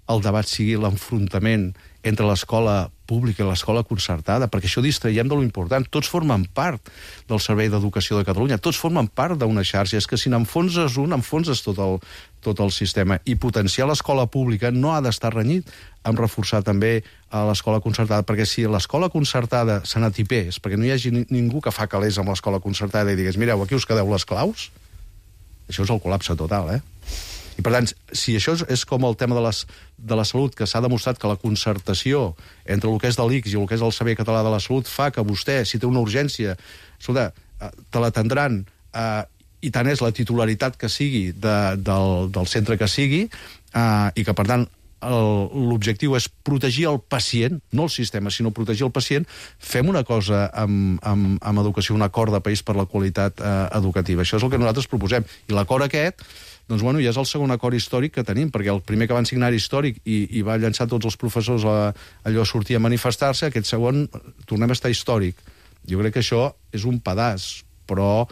el debat sigui l'enfrontament entre l'escola pública i l'escola concertada, perquè això distraiem de lo important. Tots formen part del Servei d'Educació de Catalunya, tots formen part d'una xarxa. És que si n'enfonses un, enfonses tot el sistema. I potenciar l'escola pública no ha d'estar renyit amb reforçar també a l'escola concertada, perquè si l'escola concertada se n'atipés, perquè no hi hagi ningú que fa calés amb l'escola concertada i digués, mireu, aquí us quedeu les claus, això és el col·lapse total, I, per tant, si això és com el tema de la salut, que s'ha demostrat que la concertació entre el que és de l'ICS i el que és el Servei Català de la Salut fa que vostè, si té una urgència, escolta, te l'atendran, i tant és la titularitat que sigui del centre que sigui, i que, per tant, l'objectiu és protegir el pacient, no el sistema, sinó protegir el pacient. Fem una cosa amb educació, un acord de país per la qualitat educativa. Això és el que nosaltres proposem. I l'acord aquest, doncs, bueno, ja és el segon acord històric que tenim, perquè el primer que van signar històric i va llançar tots els professors allò a sortir a manifestar-se, aquest segon tornem a estar històric. Jo crec que això és un pedaç, però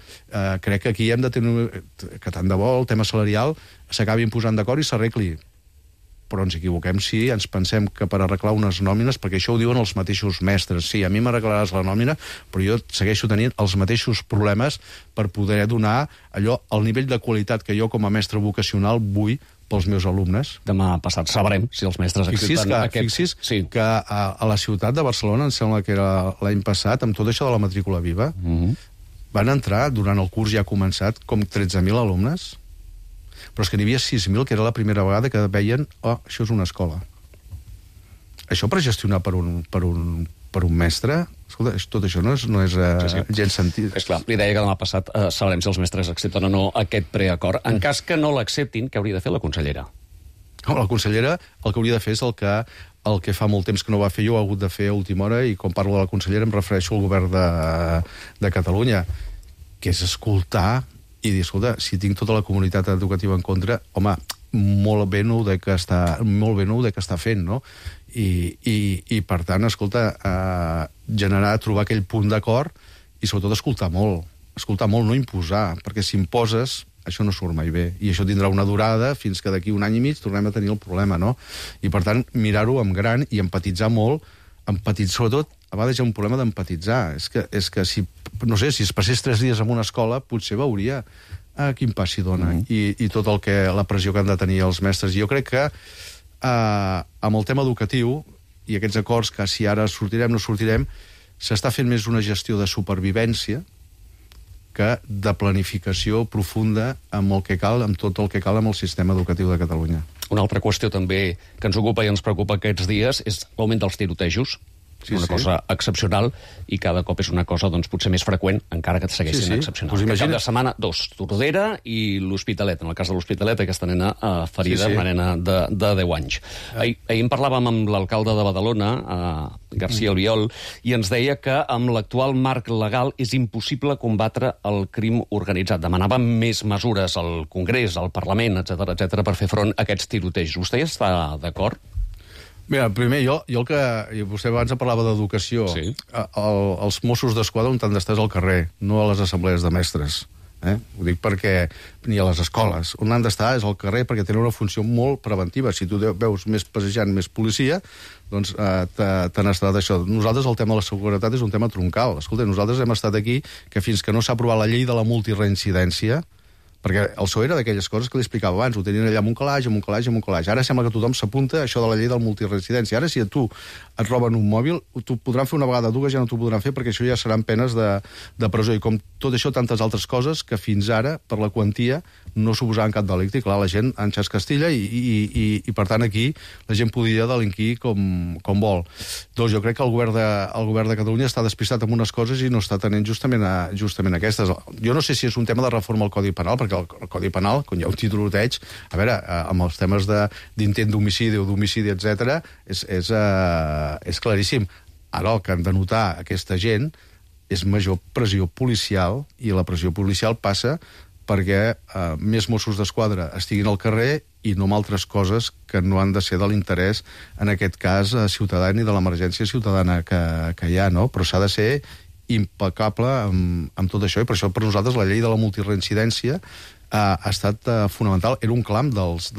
crec que aquí hem de tenir que tant de bo el tema salarial s'acabin posant d'acord i s'arregli. Però ens equivoquem si ens pensem que per arreglar unes nòmines, perquè això ho diuen els mateixos mestres, sí, a mi m'arreglaràs la nòmina, però jo segueixo tenint els mateixos problemes per poder donar allò, el nivell de qualitat que jo com a mestre vocacional vull pels meus alumnes. Demà passat sabrem si els mestres accepten aquest... Fixi's que a la ciutat de Barcelona, em sembla que era l'any passat, amb tot això de la matrícula viva, van entrar, durant el curs ja començat, com 13.000 alumnes, però és que n'hi havia 6.000, que era la primera vegada que veien, això és una escola. Això per gestionar per un mestre, escolta, tot això no és gens sentit. És clar, li deia que demà passat sabrem si els mestres accepten o no aquest preacord. En cas que no l'acceptin, què hauria de fer la consellera? La consellera el que hauria de fer és el que fa molt temps que no va fer jo, ha hagut de fer a última hora, i quan parlo de la consellera em refereixo al govern de Catalunya, que és escoltar i dir, escolta, si tinc tota la comunitat educativa en contra, home, molt bé no ho de que està fent, no? I per tant, escolta, trobar aquell punt d'acord i sobretot escoltar molt, no imposar, perquè si imposes, això no surt mai bé, i això tindrà una durada fins que d'aquí un any i mig tornem a tenir el problema, no? I per tant, mirar-ho amb gran i empatitzar molt, sobretot, a vegades hi ha un problema d'empatitzar. És que si, no sé, si es passés 3 dies en una escola, potser veuria quin pas s'hi dona i tot la pressió que han de tenir els mestres. I jo crec que amb el tema educatiu i aquests acords que si ara sortirem no sortirem, s'està fent més una gestió de supervivència que de planificació profunda amb el que cal, amb tot el que cal amb el sistema educatiu de Catalunya. Una altra qüestió també que ens ocupa i ens preocupa aquests dies és l'augment dels tirotejos. una cosa excepcional, i cada cop és una cosa doncs, potser més freqüent, encara que segueix sent excepcional. Pues imagina... Cap de setmana, 2, Tordera i l'Hospitalet. En el cas de l'Hospitalet, aquesta nena ferida, una nena de 10 anys. Ahir en parlàvem amb l'alcalde de Badalona, García Albiol, i ens deia que amb l'actual marc legal és impossible combatre el crim organitzat. Demanàvem més mesures al Congrés, al Parlament, etc per fer front a aquests tirotejos. Vostè hi està d'acord? Mira, primer, jo el que... Vostè abans parlava d'educació. Sí. Els Mossos d'Esquadra on han d'estar al carrer, no a les assemblees de mestres. Ho dic perquè... Ni a les escoles. On han d'estar és al carrer perquè tenen una funció molt preventiva. Si tu veus més passejant, més policia, doncs te n'estarà d'això. Nosaltres el tema de la seguretat és un tema troncal. Escolta, nosaltres hem estat aquí que fins que no s'ha aprovat la llei de la multireincidència, perquè el PSOE era d'aquelles coses que li explicava abans, ho tenien allà amb un calaix. Ara sembla que tothom s'apunta a això de la llei del multireincidència. Ara, si a tu et roben un mòbil, t'ho podran fer una vegada, dues ja no t'ho podran fer, perquè això ja seran penes de presó. I com tot això, tantes altres coses que fins ara, per la quantia, no suposaven cap delicte. I clar, la gent enxas Castilla i per tant, aquí la gent podia delinquir com vol. Doncs jo crec que el govern de Catalunya està despistat amb unes coses i no està tenint justament aquestes. Jo no sé si és un tema de reforma al Codi Penal, perquè el Codi Penal, quan hi ha un tiroteig, a veure, amb els temes d'intent d'homicidi o d'homicidi, etc., és claríssim. Ara el que han de notar aquesta gent és major pressió policial, i la pressió policial passa perquè més Mossos d'Esquadra estiguin al carrer i no amb altres coses que no han de ser de l'interès, en aquest cas, ciutadà ni de l'emergència ciutadana que hi ha, no? Però s'ha de ser impecable amb tot això, i per això per nosaltres la llei de la multireincidència ha estat fonamental. Era un clam dels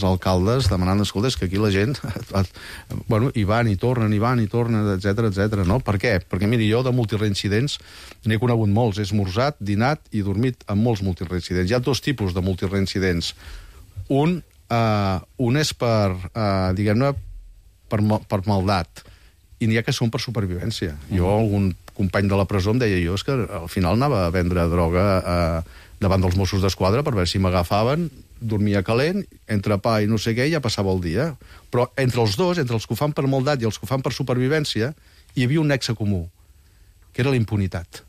alcaldes demanant, escolta, que aquí la gent hi van i tornen, etc. No? Per què? Perquè, miri, jo de multireincidents n'he conegut molts. He esmorzat, dinat i dormit amb molts multireincidents. Hi ha dos tipus de multireincidents. Un és per, diguem-ne, per maldat, i n'hi ha que són per supervivència. Jo, algun company de la presó em deia, és que al final anava a vendre droga davant dels Mossos d'Esquadra per veure si m'agafaven, dormia calent, entre pa i no sé què, ja passava el dia. Però entre els dos, entre els que ho fan per maldat i els que ho fan per supervivència, hi havia un nexe comú, que era la impunitat.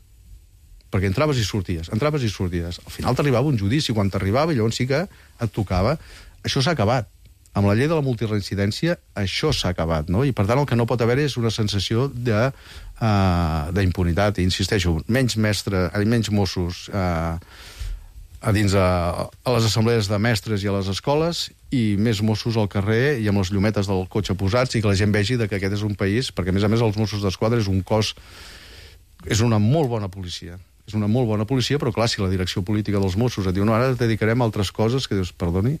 Perquè entraves i sorties. Al final t'arribava un judici, quan t'arribava, i llavors sí que et tocava. Això s'ha acabat. Amb la llei de la multireincidència, això s'ha acabat, no? I, per tant, el que no pot haver és una sensació d'impunitat. I insisteixo, menys Mossos a les assemblees de mestres i a les escoles, i més Mossos al carrer i amb les llumetes del cotxe posats, i que la gent vegi que aquest és un país, perquè, a més els Mossos d'Esquadra és un cos... És una molt bona policia. És una molt bona policia, però, clar, si la direcció política dels Mossos et diu no, ara et dedicarem a altres coses, que dius, perdoni...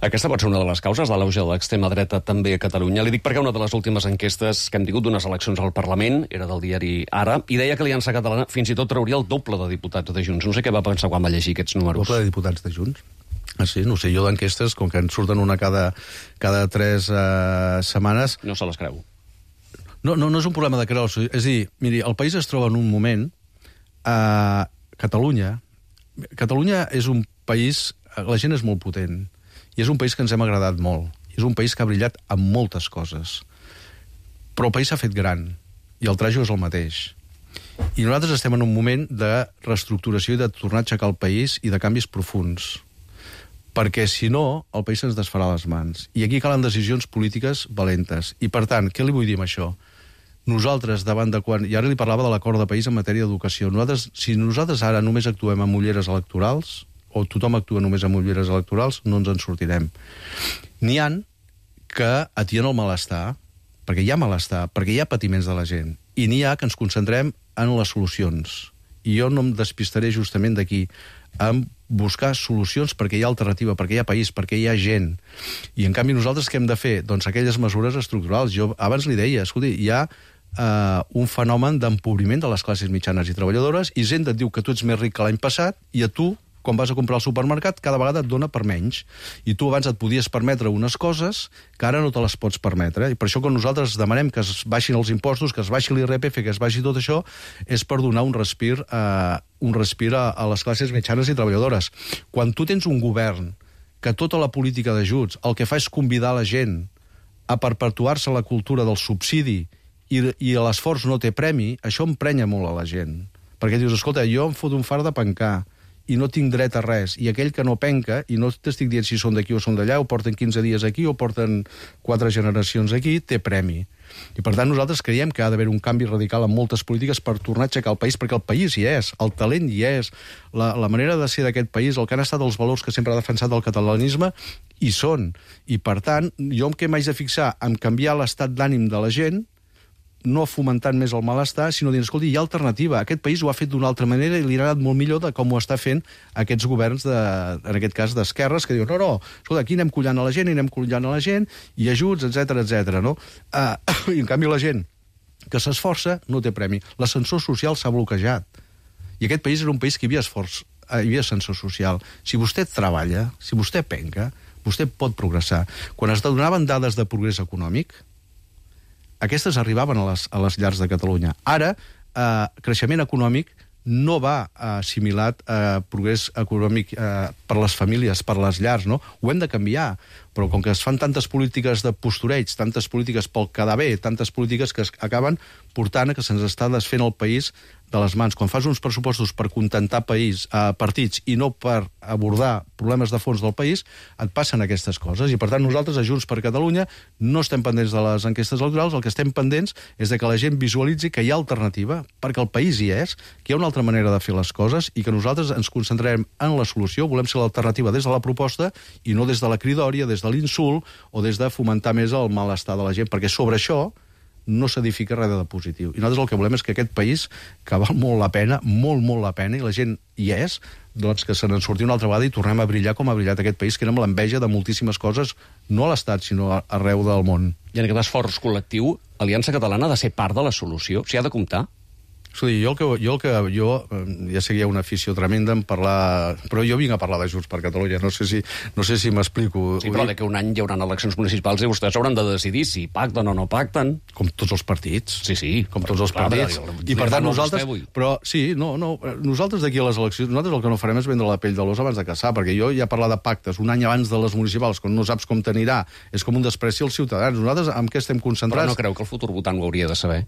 Aquesta pot ser una de les causes de l'auge de l'extrema dreta també a Catalunya. Li dic perquè una de les últimes enquestes que hem tingut d'unes eleccions al Parlament era del diari Ara, i deia que l'Aliança Catalana fins i tot trauria el doble de diputats de Junts. No sé què va pensar quan va llegir aquests números. Doble de diputats de Junts? Ah, sí? No sé, jo d'enquestes, com que en surten una cada 3 setmanes... No se les creu. No és un problema de creure-s'ho. És a dir, miri, el país es troba en un moment... Catalunya és un país... La gent és molt potent. I és un país que ens hem agradat molt. És un país que ha brillat amb moltes coses. Però el país s'ha fet gran, i el trajo és el mateix. I nosaltres estem en un moment de reestructuració i de tornar a aixecar el país i de canvis profuns. Perquè, si no, el país se'ns desfarà les mans. I aquí calen decisions polítiques valentes. I, per tant, què li vull dir amb això? Nosaltres, davant de quan... I ara li parlava de l'acord de país en matèria d'educació. Si nosaltres ara només actuem amb ulleres electorals, o tothom actua només amb ulleres electorals, no ens en sortirem. N'hi ha que atien el malestar, perquè hi ha malestar, perquè hi ha patiments de la gent, i n'hi ha que ens concentrem en les solucions. I jo no em despistaré justament d'aquí, en buscar solucions perquè hi ha alternativa, perquè hi ha país, perquè hi ha gent. I, en canvi, nosaltres què hem de fer? Doncs aquelles mesures estructurals. Jo abans li deia, escolti, hi ha un fenomen d'empobriment de les classes mitjanes i treballadores, i gent et diu que tu ets més ric que l'any passat, i a tu, quan vas a comprar al supermercat, cada vegada et dona per menys. I tu abans et podies permetre unes coses que ara no te les pots permetre. I per això, quan nosaltres demanem que es baixin els impostos, que es baixi l'IRPF, que es baixi tot això, és per donar un respir a les classes mitjanes i treballadores. Quan tu tens un govern que tota la política d'ajuts el que fa és convidar la gent a perpetuar-se la cultura del subsidi i l'esforç no té premi, això emprenya molt a la gent. Perquè dius, escolta, jo em foto un far de pencar i no tinc dret a res, i aquell que no penca, i no t'estic dient si són d'aquí o són d'allà, o porten 15 dies aquí o porten 4 generacions aquí, té premi. I per tant nosaltres creiem que ha d'haver un canvi radical en moltes polítiques per tornar a aixecar el país, perquè el país hi és, el talent hi és, la manera de ser d'aquest país, el que han estat els valors que sempre ha defensat el catalanisme, hi són. I per tant, jo em que m'haig de fixar en canviar l'estat d'ànim de la gent, no fomentant més el malestar, sinó dient, escolta, hi ha alternativa. Aquest país ho ha fet d'una altra manera i li ha anat molt millor de com ho està fent aquests governs, en aquest cas d'esquerres, que diuen, no, escolta, aquí anem collant a la gent, i ajuts, etc, no? I en canvi la gent que s'esforça no té premi. L'ascensor social s'ha bloquejat. I aquest país era un país que hi havia ascensor social. Si vostè treballa, si vostè penca, vostè pot progressar. Quan es donaven dades de progrés econòmic, aquestes arribaven a les llars de Catalunya. Ara, creixement econòmic no va assimilat a progrés econòmic per les famílies, per les llars, no? Ho hem de canviar, però com que es fan tantes polítiques de postureig, tantes polítiques pel quedar bé, tantes polítiques que acaben portant a que se'ns està desfent el país de les mans. Quan fas uns pressupostos per contentar partits i no per abordar problemes de fons del país, et passen aquestes coses. I per tant nosaltres, a Junts per Catalunya, no estem pendents de les enquestes electorals, el que estem pendents és de que la gent visualitzi que hi ha alternativa, perquè el país hi és, que hi ha una altra manera de fer les coses i que nosaltres ens concentrarem en la solució, volem ser l'alternativa des de la proposta i no des de la cridòria, des de l'insult o des de fomentar més el malestar de la gent, perquè sobre això no s'edifica res de positiu. I nosaltres el que volem és que aquest país, que val molt la pena, molt la pena, i la gent hi és, doncs que se n'en surti una altra vegada i tornem a brillar com ha brillat aquest país, que era amb l'enveja de moltíssimes coses, no a l'Estat, sinó arreu del món. I en aquest esforç col·lectiu, Aliança Catalana ha de ser part de la solució? S'hi ha de comptar? Escolti, jo ja sé que hi ha una afició tremenda en parlar... Però jo vinc a parlar de Junts per Catalunya, no sé si m'explico. Sí, però que un any hi haurà eleccions municipals i vostès hauran de decidir si pacten o no pacten. Com tots els partits. Sí. Com tots els partits. I per tant nosaltres... Però sí, nosaltres d'aquí a les eleccions, nosaltres el que no farem és vendre la pell de l'os abans de caçar, perquè jo ja parlar de pactes un any abans de les municipals, quan no saps com t'anirà, és com un despreci als ciutadans. Nosaltres amb què estem concentrats? Però no creu que el futur votant ho hauria de saber?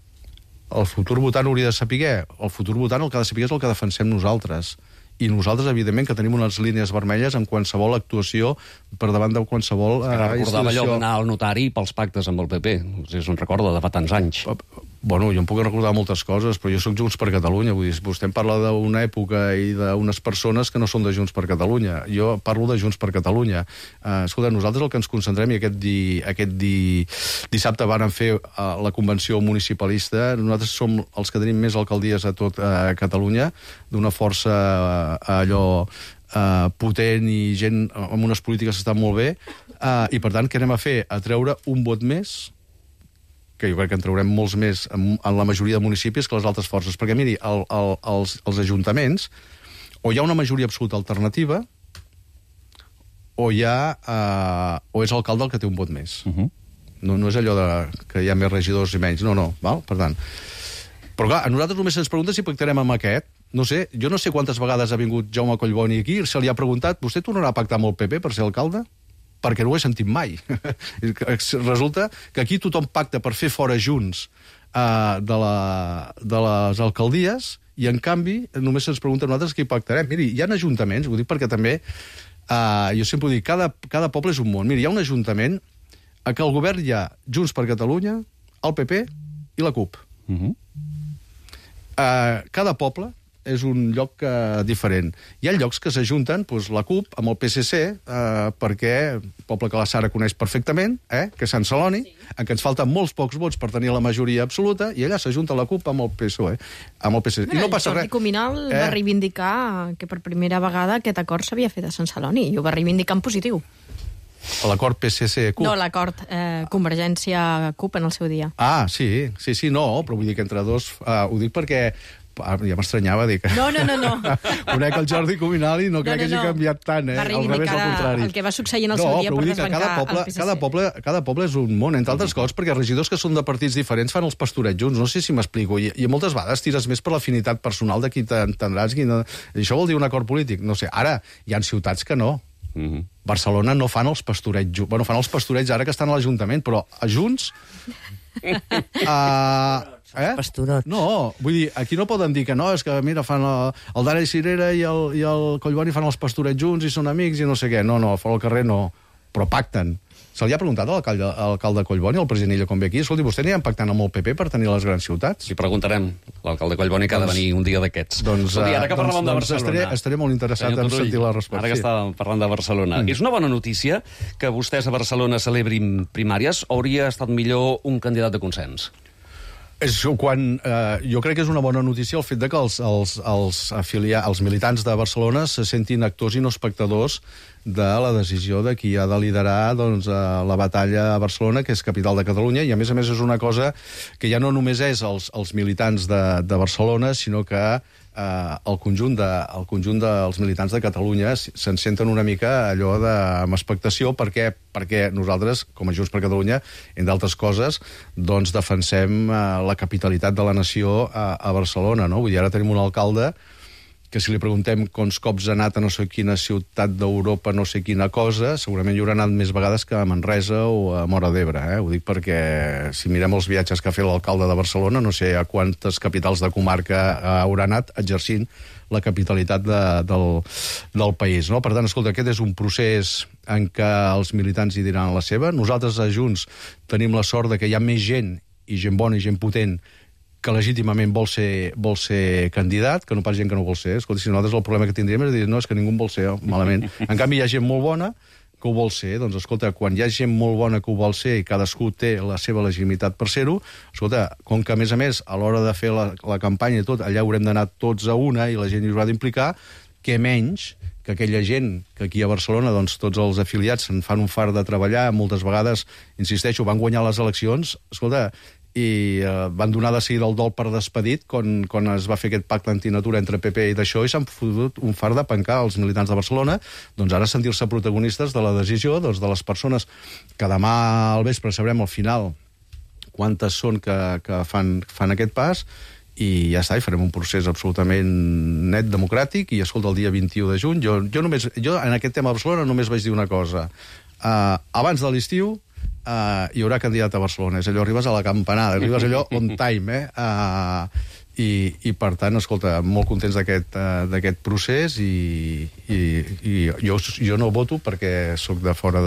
El futur votant hauria de saber. El futur votant el que ha de saber és el que defensem nosaltres. I nosaltres, evidentment, que tenim unes línies vermelles en qualsevol actuació per davant de qualsevol recordava allò d'anar al notari pels pactes amb el PP. Si se'n recorda, de fa tants anys. Bueno, jo em puc recordar moltes coses, però jo sóc Junts per Catalunya. Vull dir, vostè em parla d'una època i d'unes persones que no són de Junts per Catalunya. Jo parlo de Junts per Catalunya. Escolta, nosaltres el que ens concentrem, i aquest dissabte vàrem fer la convenció municipalista, nosaltres som els que tenim més alcaldies a tot Catalunya, d'una força allò potent i gent amb unes polítiques que estan molt bé, i per tant què anem a fer? A treure un vot més, que jo crec que en traurem molts més en la majoria de municipis que les altres forces, perquè miri, els ajuntaments o hi ha una majoria absoluta alternativa o és l'alcalde el que té un vot més. No és allò que hi ha més regidors i menys, no, val? Per tant, però clar, a nosaltres només se'ns pregunta si pactarem amb aquest. No sé, jo no sé quantes vegades ha vingut Jaume Collboni aquí, se li ha preguntat, vostè tornarà a pactar amb el PP per ser alcalde? Perquè no ho he sentit mai. Resulta que aquí tothom pacta per fer fora Junts de les alcaldies i, en canvi, només se'ns pregunta a nosaltres qui pactarem. Miri, hi ha ajuntaments, ho dic perquè també, jo sempre ho dic, cada poble és un món. Miri, hi ha un ajuntament a què el govern hi ha Junts per Catalunya, el PP i la CUP. Cada poble és un lloc diferent. Hi ha llocs que s'ajunten, la CUP amb el PSC, perquè el poble que la Sara coneix perfectament, que és Sant Celoni, en què ens falten molts pocs vots per tenir la majoria absoluta, i allà s'ajunta la CUP amb el PSOE. I no passa res. Jordi Cuminal va reivindicar que per primera vegada aquest acord s'havia fet a Sant Celoni, i ho va reivindicar en positiu. L'acord PSC-CUP? No, l'acord Convergència-CUP en el seu dia. Sí, però vull dir que entre dos... Ho dic perquè... Ja m'estranyava dir que... No. Conec el Jordi Cuminal i no crec que hagi canviat tant, Va reivindicar el que va succeir en el seu dia per desbancar el PSC. Cada poble és un món, entre altres coses, perquè regidors que són de partits diferents fan els pastorets junts, no sé si m'explico, i moltes vegades tires més per l'afinitat personal de qui t'entendràs. Això vol dir un acord polític? No sé, ara hi ha ciutats que no. Barcelona no fan els pastorets... Bueno, fan els pastorets ara que estan a l'Ajuntament, però a Junts... Pastorots. No, vull dir, aquí no poden dir que no, és que, mira, fan el Dara i Cirera i el Collboni fan els pastorets junts i són amics i no sé què. No, fora al carrer no, però pacten. Se li ha preguntat a l'alcalde Collboni, al president Illa, com ve aquí, escolti, vostè aniran pactant amb el PP per tenir les grans ciutats? Li preguntarem. L'alcalde Collboni que ha de venir un dia d'aquests. Ara que parlàvem de Barcelona... Estaré molt interessat en sentir la resposta. Ara que estàvem parlant de Barcelona. És una bona notícia que vostès a Barcelona celebrin primàries o hauria estat millor un candidat de consens? Jo crec que és una bona notícia el fet de que els militants de Barcelona se sentin actors i no espectadors de la decisió de qui ha de liderar la batalla a Barcelona, que és capital de Catalunya, i a més és una cosa que ja no només és els militants de Barcelona, sinó que el conjunt dels militants de Catalunya se'n senten una mica allò amb expectació perquè nosaltres, com a Junts per Catalunya, entre altres coses, doncs defensem la capitalitat de la nació a Barcelona, no? Vull dir, ara tenim un alcalde que si li preguntem quants cops ha anat a no sé quina ciutat d'Europa, no sé quina cosa, segurament hi haurà anat més vegades que a Manresa o a Móra d'Ebre. Ho dic perquè si mirem els viatges que ha fet l'alcalde de Barcelona, no sé a quantes capitals de comarca haurà anat exercint la capitalitat del país. No? Per tant, escolta, aquest és un procés en què els militants hi diran la seva. Nosaltres a Junts tenim la sort de que hi ha més gent, i gent bona i gent potent, que legítimament vol ser candidat, que no pas gent que no vol ser. Escolta, si nosaltres el problema que tindríem és dir, no, és que ningú en vol ser, malament. En canvi, hi ha gent molt bona que ho vol ser. Doncs, escolta, quan hi ha gent molt bona que ho vol ser i cadascú té la seva legitimitat per ser-ho, escolta, com que, a més, a l'hora de fer la campanya i tot, allà haurem d'anar tots a una i la gent hi haurà d'implicar, què menys que aquella gent que aquí a Barcelona, doncs, tots els afiliats se'n fan un fart de treballar, moltes vegades, insisteixo, van guanyar les eleccions, escolta, i van donar de seguida el dol per despedit quan es va fer aquest pacte antinatura entre PP i d'això, i s'han fotut un fart de pencar els militants de Barcelona, doncs ara sentir-se protagonistes de la decisió de les persones que demà al vespre sabrem al final quantes són que fan aquest pas, i ja està, i farem un procés absolutament net, democràtic, i escolta, el dia 21 de juny, jo en aquest tema de Barcelona només vaig dir una cosa. Abans de l'estiu hi haurà candidat a Barcelona. És allò, arribes a la campanada, arribes allò on time, i per tant, escolta, molt contents d'aquest procés, i jo no voto perquè sóc de fora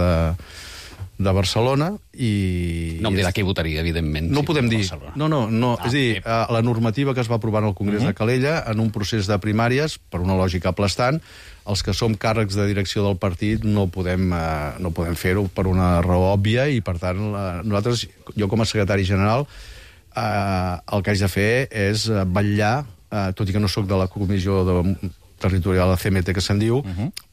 de Barcelona, i... No em dirà qui votaria, evidentment. No ho podem dir. No. És a dir, la normativa que es va aprovar en el Congrés de Calella, en un procés de primàries, per una lògica aplastant, els que som càrrecs de direcció del partit no podem fer-ho per una raó òbvia, i per tant, nosaltres, jo com a secretari general, el que haig de fer és vetllar, tot i que no sóc de la comissió territorial de CMT, que se'n diu,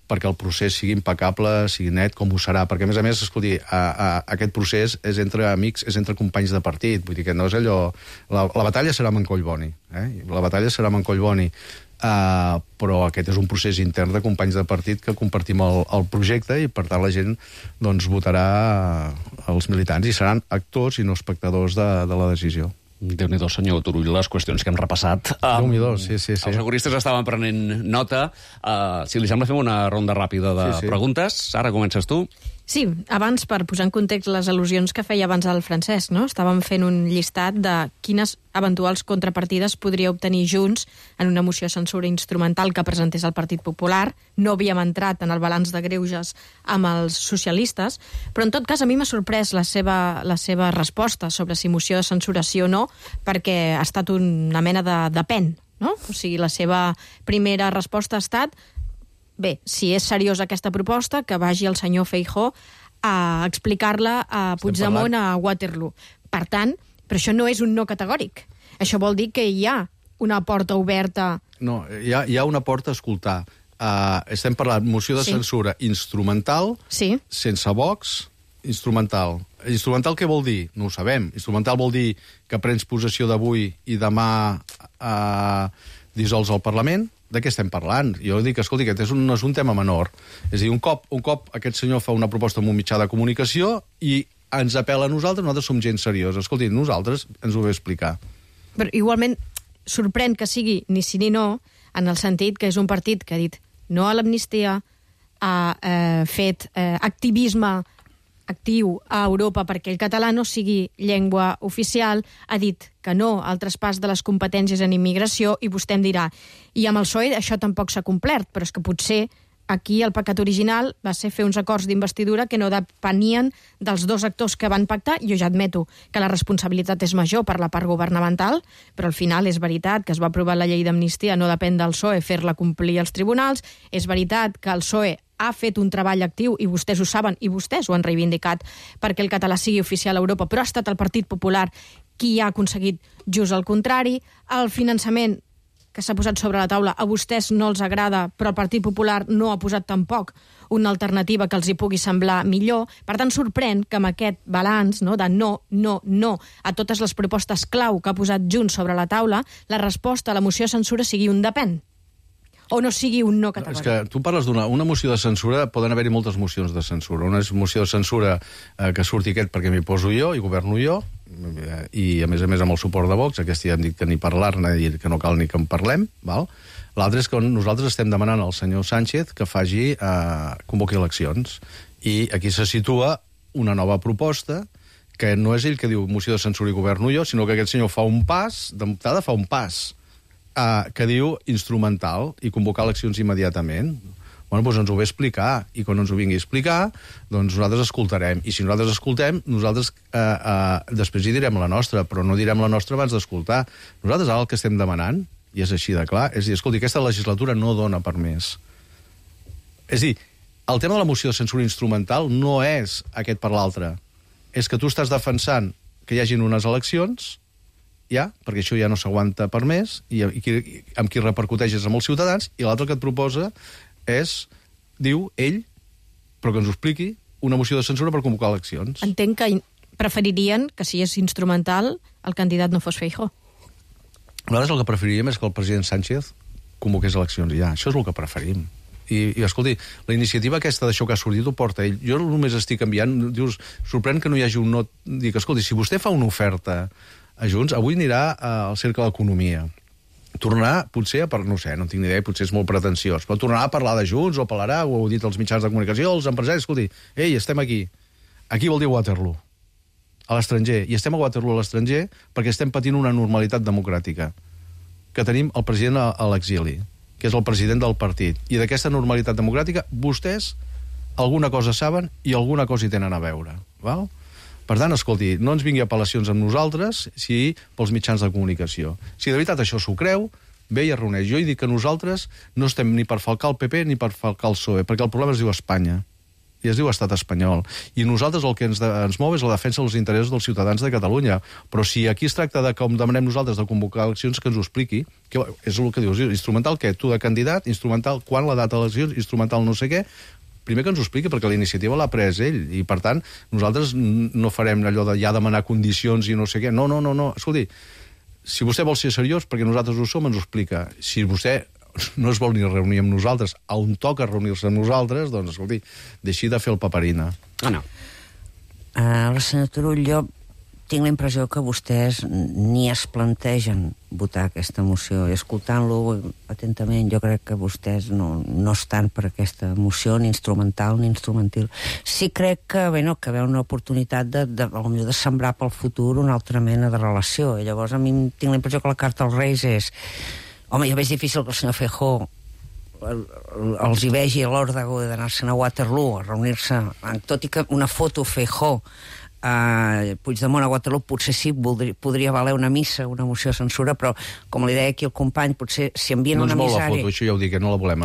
perquè el procés sigui impecable, sigui net, com ho serà. Perquè, a més, escolti, aquest procés és entre amics, és entre companys de partit. Vull dir que no és allò... La batalla serà amb en Collboni. La batalla serà amb en Collboni. Però aquest és un procés intern de companys de partit que compartim el projecte, i per tant la gent votarà els militants i seran actors i no espectadors de la decisió. Déu-n'hi-do, senyor Turull, les qüestions que hem repassat. Déu-n'hi-do, sí. Els agoristes estaven prenent nota. Si li sembla, fem una ronda ràpida de preguntes. Ara comences tu. Sí, abans, per posar en context les al·lusions que feia abans el Francesc, no? Estàvem fent un llistat de quines eventuals contrapartides podria obtenir Junts en una moció de censura instrumental que presentés el Partit Popular. No havíem entrat en el balanç de greuges amb els socialistes, però en tot cas a mi m'ha sorprès la seva resposta sobre si moció de censura sí o no, perquè ha estat una mena de depèn, no? O sigui, la seva primera resposta ha estat: bé, si és seriosa aquesta proposta, que vagi el senyor Feijóo a explicar-la a Puigdemont a Waterloo. Per tant, però això no és un no categòric. Això vol dir que hi ha una porta oberta... No, hi ha una porta a escoltar. Estem parlant moció de censura instrumental, sense Vox, instrumental. Instrumental què vol dir? No ho sabem. Instrumental vol dir que prens possessió d'avui i demà dissols el Parlament. De què estem parlant? Jo dic, escolti, aquest no és un tema menor. És a dir, un cop aquest senyor fa una proposta en un mitjà de comunicació i ens apel·la a nosaltres som gent seriosa. Escolti, nosaltres ens ho ve explicar. Però igualment sorprèn que sigui ni sí ni no, en el sentit que és un partit que ha dit no a l'amnistia, ha fet activisme actiu a Europa perquè el català no sigui llengua oficial, ha dit que no al traspàs de les competències en immigració, i vostè em dirà, i amb el PSOE això tampoc s'ha complert, però és que potser aquí el pecat original va ser fer uns acords d'investidura que no depenien dels dos actors que van pactar. Jo ja admeto que la responsabilitat és major per la part governamental, però al final és veritat que es va aprovar la llei d'amnistia, no depèn del PSOE fer-la complir als tribunals, és veritat que el PSOE ha fet un treball actiu, i vostès ho saben, i vostès ho han reivindicat, perquè el català sigui oficial a Europa, però ha estat el Partit Popular qui ha aconseguit just el contrari. El finançament que s'ha posat sobre la taula a vostès no els agrada, però el Partit Popular no ha posat tampoc una alternativa que els hi pugui semblar millor. Per tant, sorprèn que amb aquest balanç de no a totes les propostes clau que ha posat Junts sobre la taula, la resposta a la moció de censura sigui un depèn. O no sigui un no categòric. És que tu parles d'una moció de censura, poden haver-hi moltes mocions de censura. Una moció de censura que surti aquest perquè m'hi poso jo i governo jo, i a més amb el suport de Vox, aquesta ja hem dit que ni parlar-ne, que no cal ni que en parlem, val? L'altre és que nosaltres estem demanant al senyor Sánchez que convoqui eleccions, i aquí se situa una nova proposta que no és ell que diu moció de censura i governo jo, sinó que aquest senyor fa un pas, d'entrada fa un pas, que diu instrumental i convocar eleccions immediatament. Bueno, doncs ens ho ve explicar, i quan ens ho vingui a explicar, doncs nosaltres escoltarem. I si nosaltres escoltem, nosaltres després hi direm la nostra, però no direm la nostra abans d'escoltar. Nosaltres ara el que estem demanant, i és així de clar, és dir, escolti, aquesta legislatura no dona per més. És dir, el tema de la moció de censura instrumental no és aquest per l'altre. És que tu estàs defensant que hi hagin unes eleccions, perquè això ja no s'aguanta per més, i amb qui repercuteix és amb els ciutadans, i l'altre que et proposa diu ell, però que ens ho expliqui, una moció de censura per convocar eleccions. Entenc que preferirien que, si és instrumental, el candidat no fos Feijóo. Nosaltres el que preferiríem és que el president Sánchez convoqués eleccions, ja. Això és el que preferim. I escolti, la iniciativa aquesta d'això que ha sortit ho porta ell. Jo només estic enviant, dius, sorprèn que no hi hagi un no... Dic, escolti, si vostè fa una oferta a Junts, avui anirà al Cercle d'Economia. Tornarà, potser, no sé, no tinc ni idea, potser és molt pretensiós, però tornarà a parlar de Junts, o parlarà, ho heu dit als mitjans de comunicació, als empresaris, escolti, ei, estem aquí. Aquí vol dir Waterloo, a l'estranger. I estem a Waterloo a l'estranger perquè estem patint una normalitat democràtica, que tenim el president a l'exili, que és el president del partit. I d'aquesta normalitat democràtica, vostès alguna cosa saben i alguna cosa hi tenen a veure. Val? Per tant, escolti, no ens vingui apel·lacions amb nosaltres, si pels mitjans de comunicació. Si de veritat això s'ho creu, ve i es reuneix. Jo he dit que nosaltres no estem ni per falcar el PP ni per falcar el PSOE, perquè el problema es diu Espanya, i es diu Estat espanyol. I nosaltres el que ens mou és la defensa dels interessos dels ciutadans de Catalunya. Però si aquí es tracta de, com demanem nosaltres, de convocar eleccions, que ens ho expliqui, que és el que dius, instrumental què? Tu de candidat, instrumental quan la data d'eleccions, instrumental no sé què. Primer que ens ho expliqui, perquè la iniciativa l'ha pres ell, i per tant nosaltres no farem allò de ja demanar condicions i no sé què. No. Escolti, si vostè vol ser seriós, perquè nosaltres ho som, ens ho explica. Si vostè no es vol ni reunir amb nosaltres, on toca reunir-se amb nosaltres, doncs, escolti, deixi de fer el paperina. No. La senyora Turull, jo tinc la impressió que vostès ni es plantegen votar aquesta moció. I escoltant-lo atentament, jo crec que vostès no estan per aquesta moció, ni instrumental ni instrumentil. Sí crec que veu una oportunitat de sembrar pel futur una altra mena de relació. I llavors a mi tinc la impressió que la carta als Reis és... Home, ja veig difícil que el senyor Feijóo els hi vegi a l'hora d'anar-se'n a Waterloo, a reunir-se, tot i que una foto Feijóo Puigdemont a Waterloo potser sí podria valer una missa, una moció de censura, però com li deia aquí el company, potser si envien una misèria... No és molt la foto, això ja ho dic, que no la volem.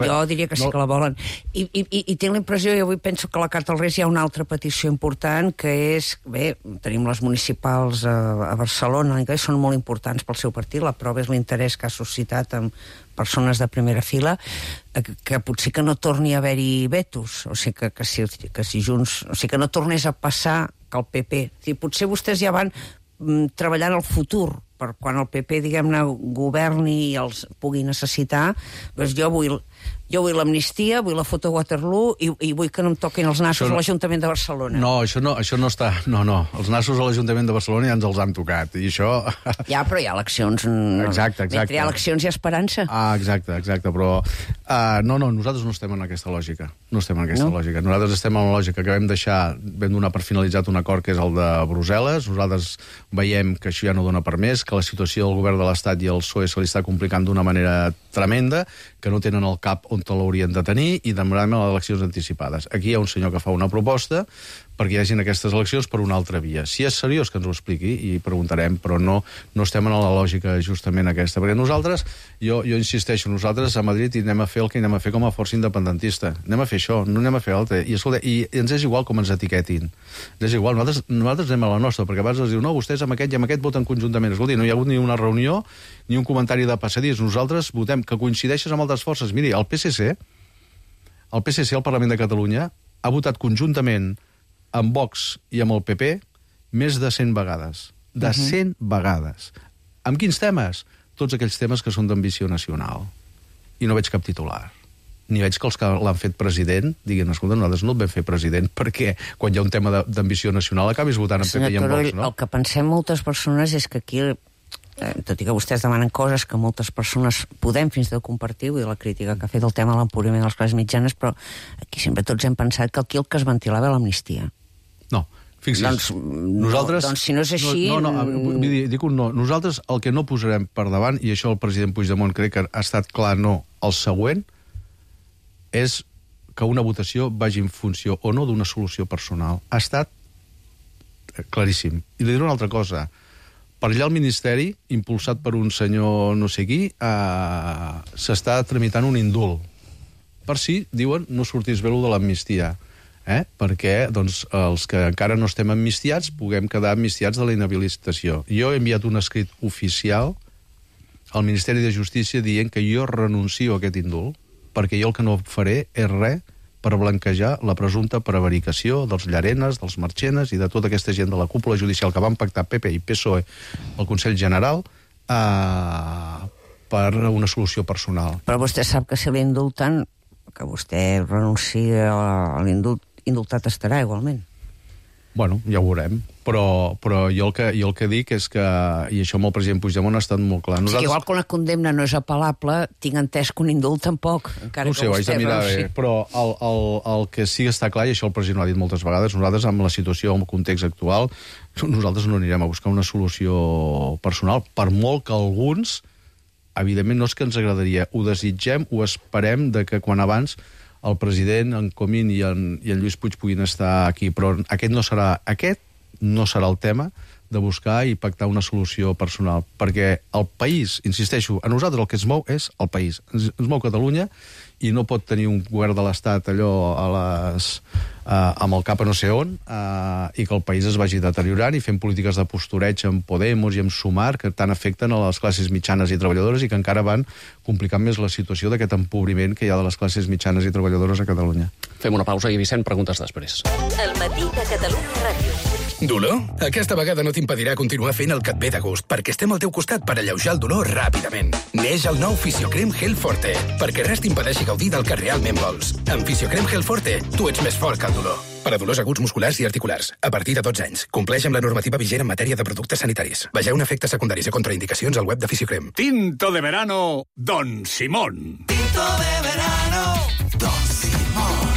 Jo diria que sí que la volen. I tinc la impressió, i avui penso que a la Carta als Reis hi ha una altra petició important, que és, bé, tenim les municipals a Barcelona, que són molt importants pel seu partit, la prova és l'interès que ha suscitat amb persones de primera fila, que potser que no torni a haver-hi vetos, o sigui que si Junts... O sigui que no tornés a passar que el PP... O sigui, potser vostès ja van treballant el futur, per quan el PP, diguem-ne, governi i els pugui necessitar. Doncs jo vull... jo vull l'amnistia, vull la foto Waterloo i vull que no em toquin els nassos a l'Ajuntament de Barcelona. No, això no està... No, els nassos a l'Ajuntament de Barcelona ja ens els han tocat, i això... Ja, però hi ha eleccions... Exacte. Mentre hi ha eleccions hi ha esperança. Exacte, però... No, nosaltres no estem en aquesta lògica. No estem en aquesta lògica. Nosaltres estem en la lògica que vam donar per finalitzat un acord que és el de Brussel·les. Nosaltres veiem que això ja no dona per més, que la situació del govern de l'Estat i el PSOE se li està complicant d'una manera tremenda, que no tenen el cap on te l'haurien de tenir i demanem les eleccions anticipades. Aquí hi ha un senyor que fa una proposta perquè hi hagin aquestes eleccions per una altra via. Si és seriós, que ens ho expliqui i preguntarem, però no estem en la lògica justament aquesta. Perquè nosaltres, jo insisteixo, nosaltres a Madrid anem a fer el que anem a fer com a força independentista. Anem a fer això, no anem a fer altre. I, escolta, i ens és igual com ens etiquetin. Ens és igual, nosaltres anem a la nostra, perquè abans ens diu, no, vostès amb aquest i amb aquest voten conjuntament. Escolta, no hi ha hagut ni una reunió ni un comentari de passadís. Nosaltres votem que coincideixes amb altres forces. Miri, el PSC al Parlament de Catalunya ha votat conjuntament amb Vox i amb el PP més de 100 vegades. De 100 vegades. Amb quins temes? Tots aquells temes que són d'ambició nacional. I no veig cap titular. Ni veig que els que l'han fet president diguin, escolta, nosaltres no et vam fer president perquè quan hi ha un tema d'ambició nacional acabis votant amb PP i amb Vox, no? El que pensem moltes persones és que aquí, tot i que vostès demanen coses que moltes persones podem fins i tot compartir, i la crítica que ha fet el tema de l'empobriment de les classes mitjanes, però aquí sempre tots hem pensat que aquí el que es ventilava l'amnistia. No, fixi's. Nosaltres... Doncs si no és així... Dic un no. Nosaltres el que no posarem per davant, i això el president Puigdemont crec que ha estat clar no, el següent, és que una votació vagi en funció o no d'una solució personal. Ha estat claríssim. I li diré una altra cosa. Per allà al Ministeri, impulsat per un senyor no sé qui, s'està tramitant un indult. Per si, diuen, no sortís bé de l'amnistia. Perquè els que encara no estem amnistiats puguem quedar amnistiats de la inhabilitació. Jo he enviat un escrit oficial al Ministeri de Justícia dient que jo renuncio a aquest indult, perquè jo el que no faré és res per blanquejar la presumpta prevaricació dels Llarenes, dels Marchenes i de tota aquesta gent de la cúpula judicial que van pactar PP i PSOE al Consell General per una solució personal. Però vostè sap que si l'indulten, que vostè renuncia a l'indultat estarà igualment. Bueno, ja ho veurem. Però jo el que dic és que, i això amb el president Puigdemont ha estat molt clar. Nosaltres... Igual que una condemna no és apel·lable, tinc entès que un indult tampoc, encara no sé, que vostè... No ho sé, ho haig de mirar bé, però el que sí que està clar, i això el president ho ha dit moltes vegades, nosaltres amb la situació, amb el context actual, nosaltres no anirem a buscar una solució personal, per molt que alguns, evidentment no és que ens agradaria, ho desitgem, ho esperem de que quan abans el president, en Comín i en Lluís Puig puguin estar aquí, però aquest no serà el tema de buscar i pactar una solució personal, perquè el país, insisteixo, a nosaltres el que es mou és el país. Ens mou Catalunya i no pot tenir un govern de l'Estat allò amb el cap a no sé on i que el país es vagi deteriorant i fent polítiques de postureig amb Podemos i amb Sumar que tant afecten a les classes mitjanes i treballadores i que encara van complicant més la situació d'aquest empobriment que hi ha de les classes mitjanes i treballadores a Catalunya. Fem una pausa i Vicent, preguntes després. El matí de Catalunya Ràdio. Dolor? Aquesta vegada no t'impedirà continuar fent el que et ve de gust, perquè estem al teu costat per alleujar el dolor ràpidament. Neix el nou Fisiocrem Gel Forte, perquè res t'impedeixi gaudir del que realment vols. Amb Fisiocrem Gel Forte, tu ets més fort que el dolor. Per a dolors aguts musculars i articulars, a partir de 12 anys. Compleix amb la normativa vigent en matèria de productes sanitaris. Vegeu efectes secundaris i contraindicacions al web de Fisiocrem. Tinto de verano, Don Simón. Tinto de verano, Don Simón.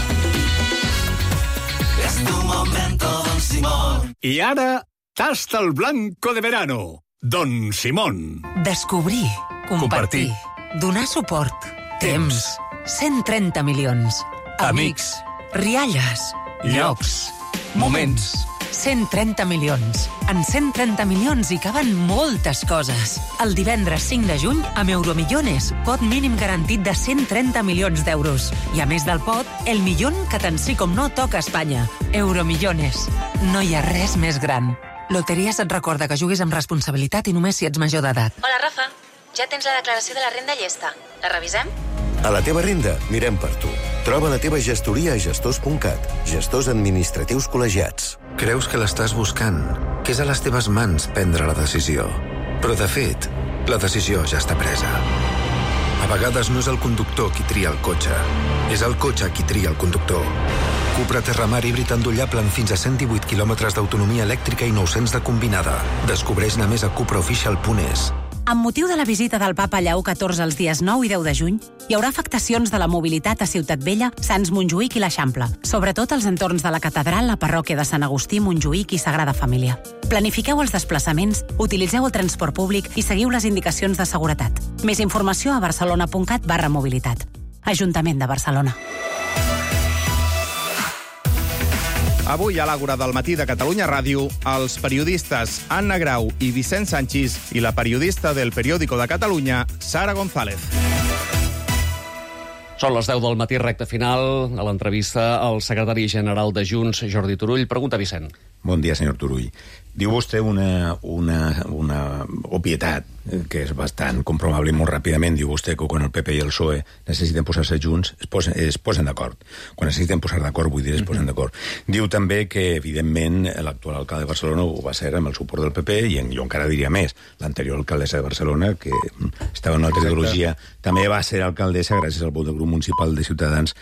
Es tu momento, Don Simón. I ara, tasta el blanco de verano, Don Simón. Descobrir, compartir, donar suport, temps, 130 milions, amics, rialles, llocs, moments. 130 milions. En 130 milions hi caben moltes coses. El divendres 5 de juny, amb Euromillones, pot mínim garantit de 130 milions d'euros. I a més del pot, el millón que tant sí com no toca a Espanya. Euromillones. No hi ha res més gran. Loteries et recorda que juguis amb responsabilitat i només si ets major d'edat. Hola, Rafa. Ja tens la declaració de la renda llesta. La revisem? A la teva renda, mirem per tu. Troba la teva gestoria a gestors.cat. Gestors administratius col·legiats. Creus que l'estàs buscant, que és a les teves mans prendre la decisió. Però, de fet, la decisió ja està presa. A vegades no és el conductor qui tria el cotxe, és el cotxe qui tria el conductor. Cupra Terramar híbrid endollable amb fins a 118 km d'autonomia elèctrica i 900 de combinada. Descobreix-ne més a cupraofficial.es. Amb motiu de la visita del papa Lleó XIV els dies 9 i 10 de juny, hi haurà afectacions de la mobilitat a Ciutat Vella, Sants Montjuïc i l'Eixample, sobretot als entorns de la catedral, la parròquia de Sant Agustí, Montjuïc i Sagrada Família. Planifiqueu els desplaçaments, utilitzeu el transport públic i seguiu les indicacions de seguretat. Més informació a barcelona.cat/mobilitat. Ajuntament de Barcelona. Avui a l'Àgora del matí de Catalunya Ràdio, els periodistes Anna Grau i Vicent Sanchis i la periodista del Periódico de Catalunya, Sara González. Són les 10 del matí, recta final, a l'entrevista al secretari general de Junts, Jordi Turull. Pregunta, Vicent. Bon dia, senyor Turull. Diu vostè una obvietat que és bastant comprovable molt ràpidament. Diu vostè que quan el PP i el PSOE necessiten posar-se junts, es posen d'acord. Quan necessiten posar d'acord, vull dir, es posen d'acord. Diu també que, evidentment, l'actual alcalde de Barcelona ho va ser amb el suport del PP i jo encara diria més. L'anterior alcaldessa de Barcelona, que estava en una altra ideologia, també va ser alcaldessa gràcies al vot del grup municipal de Ciutadans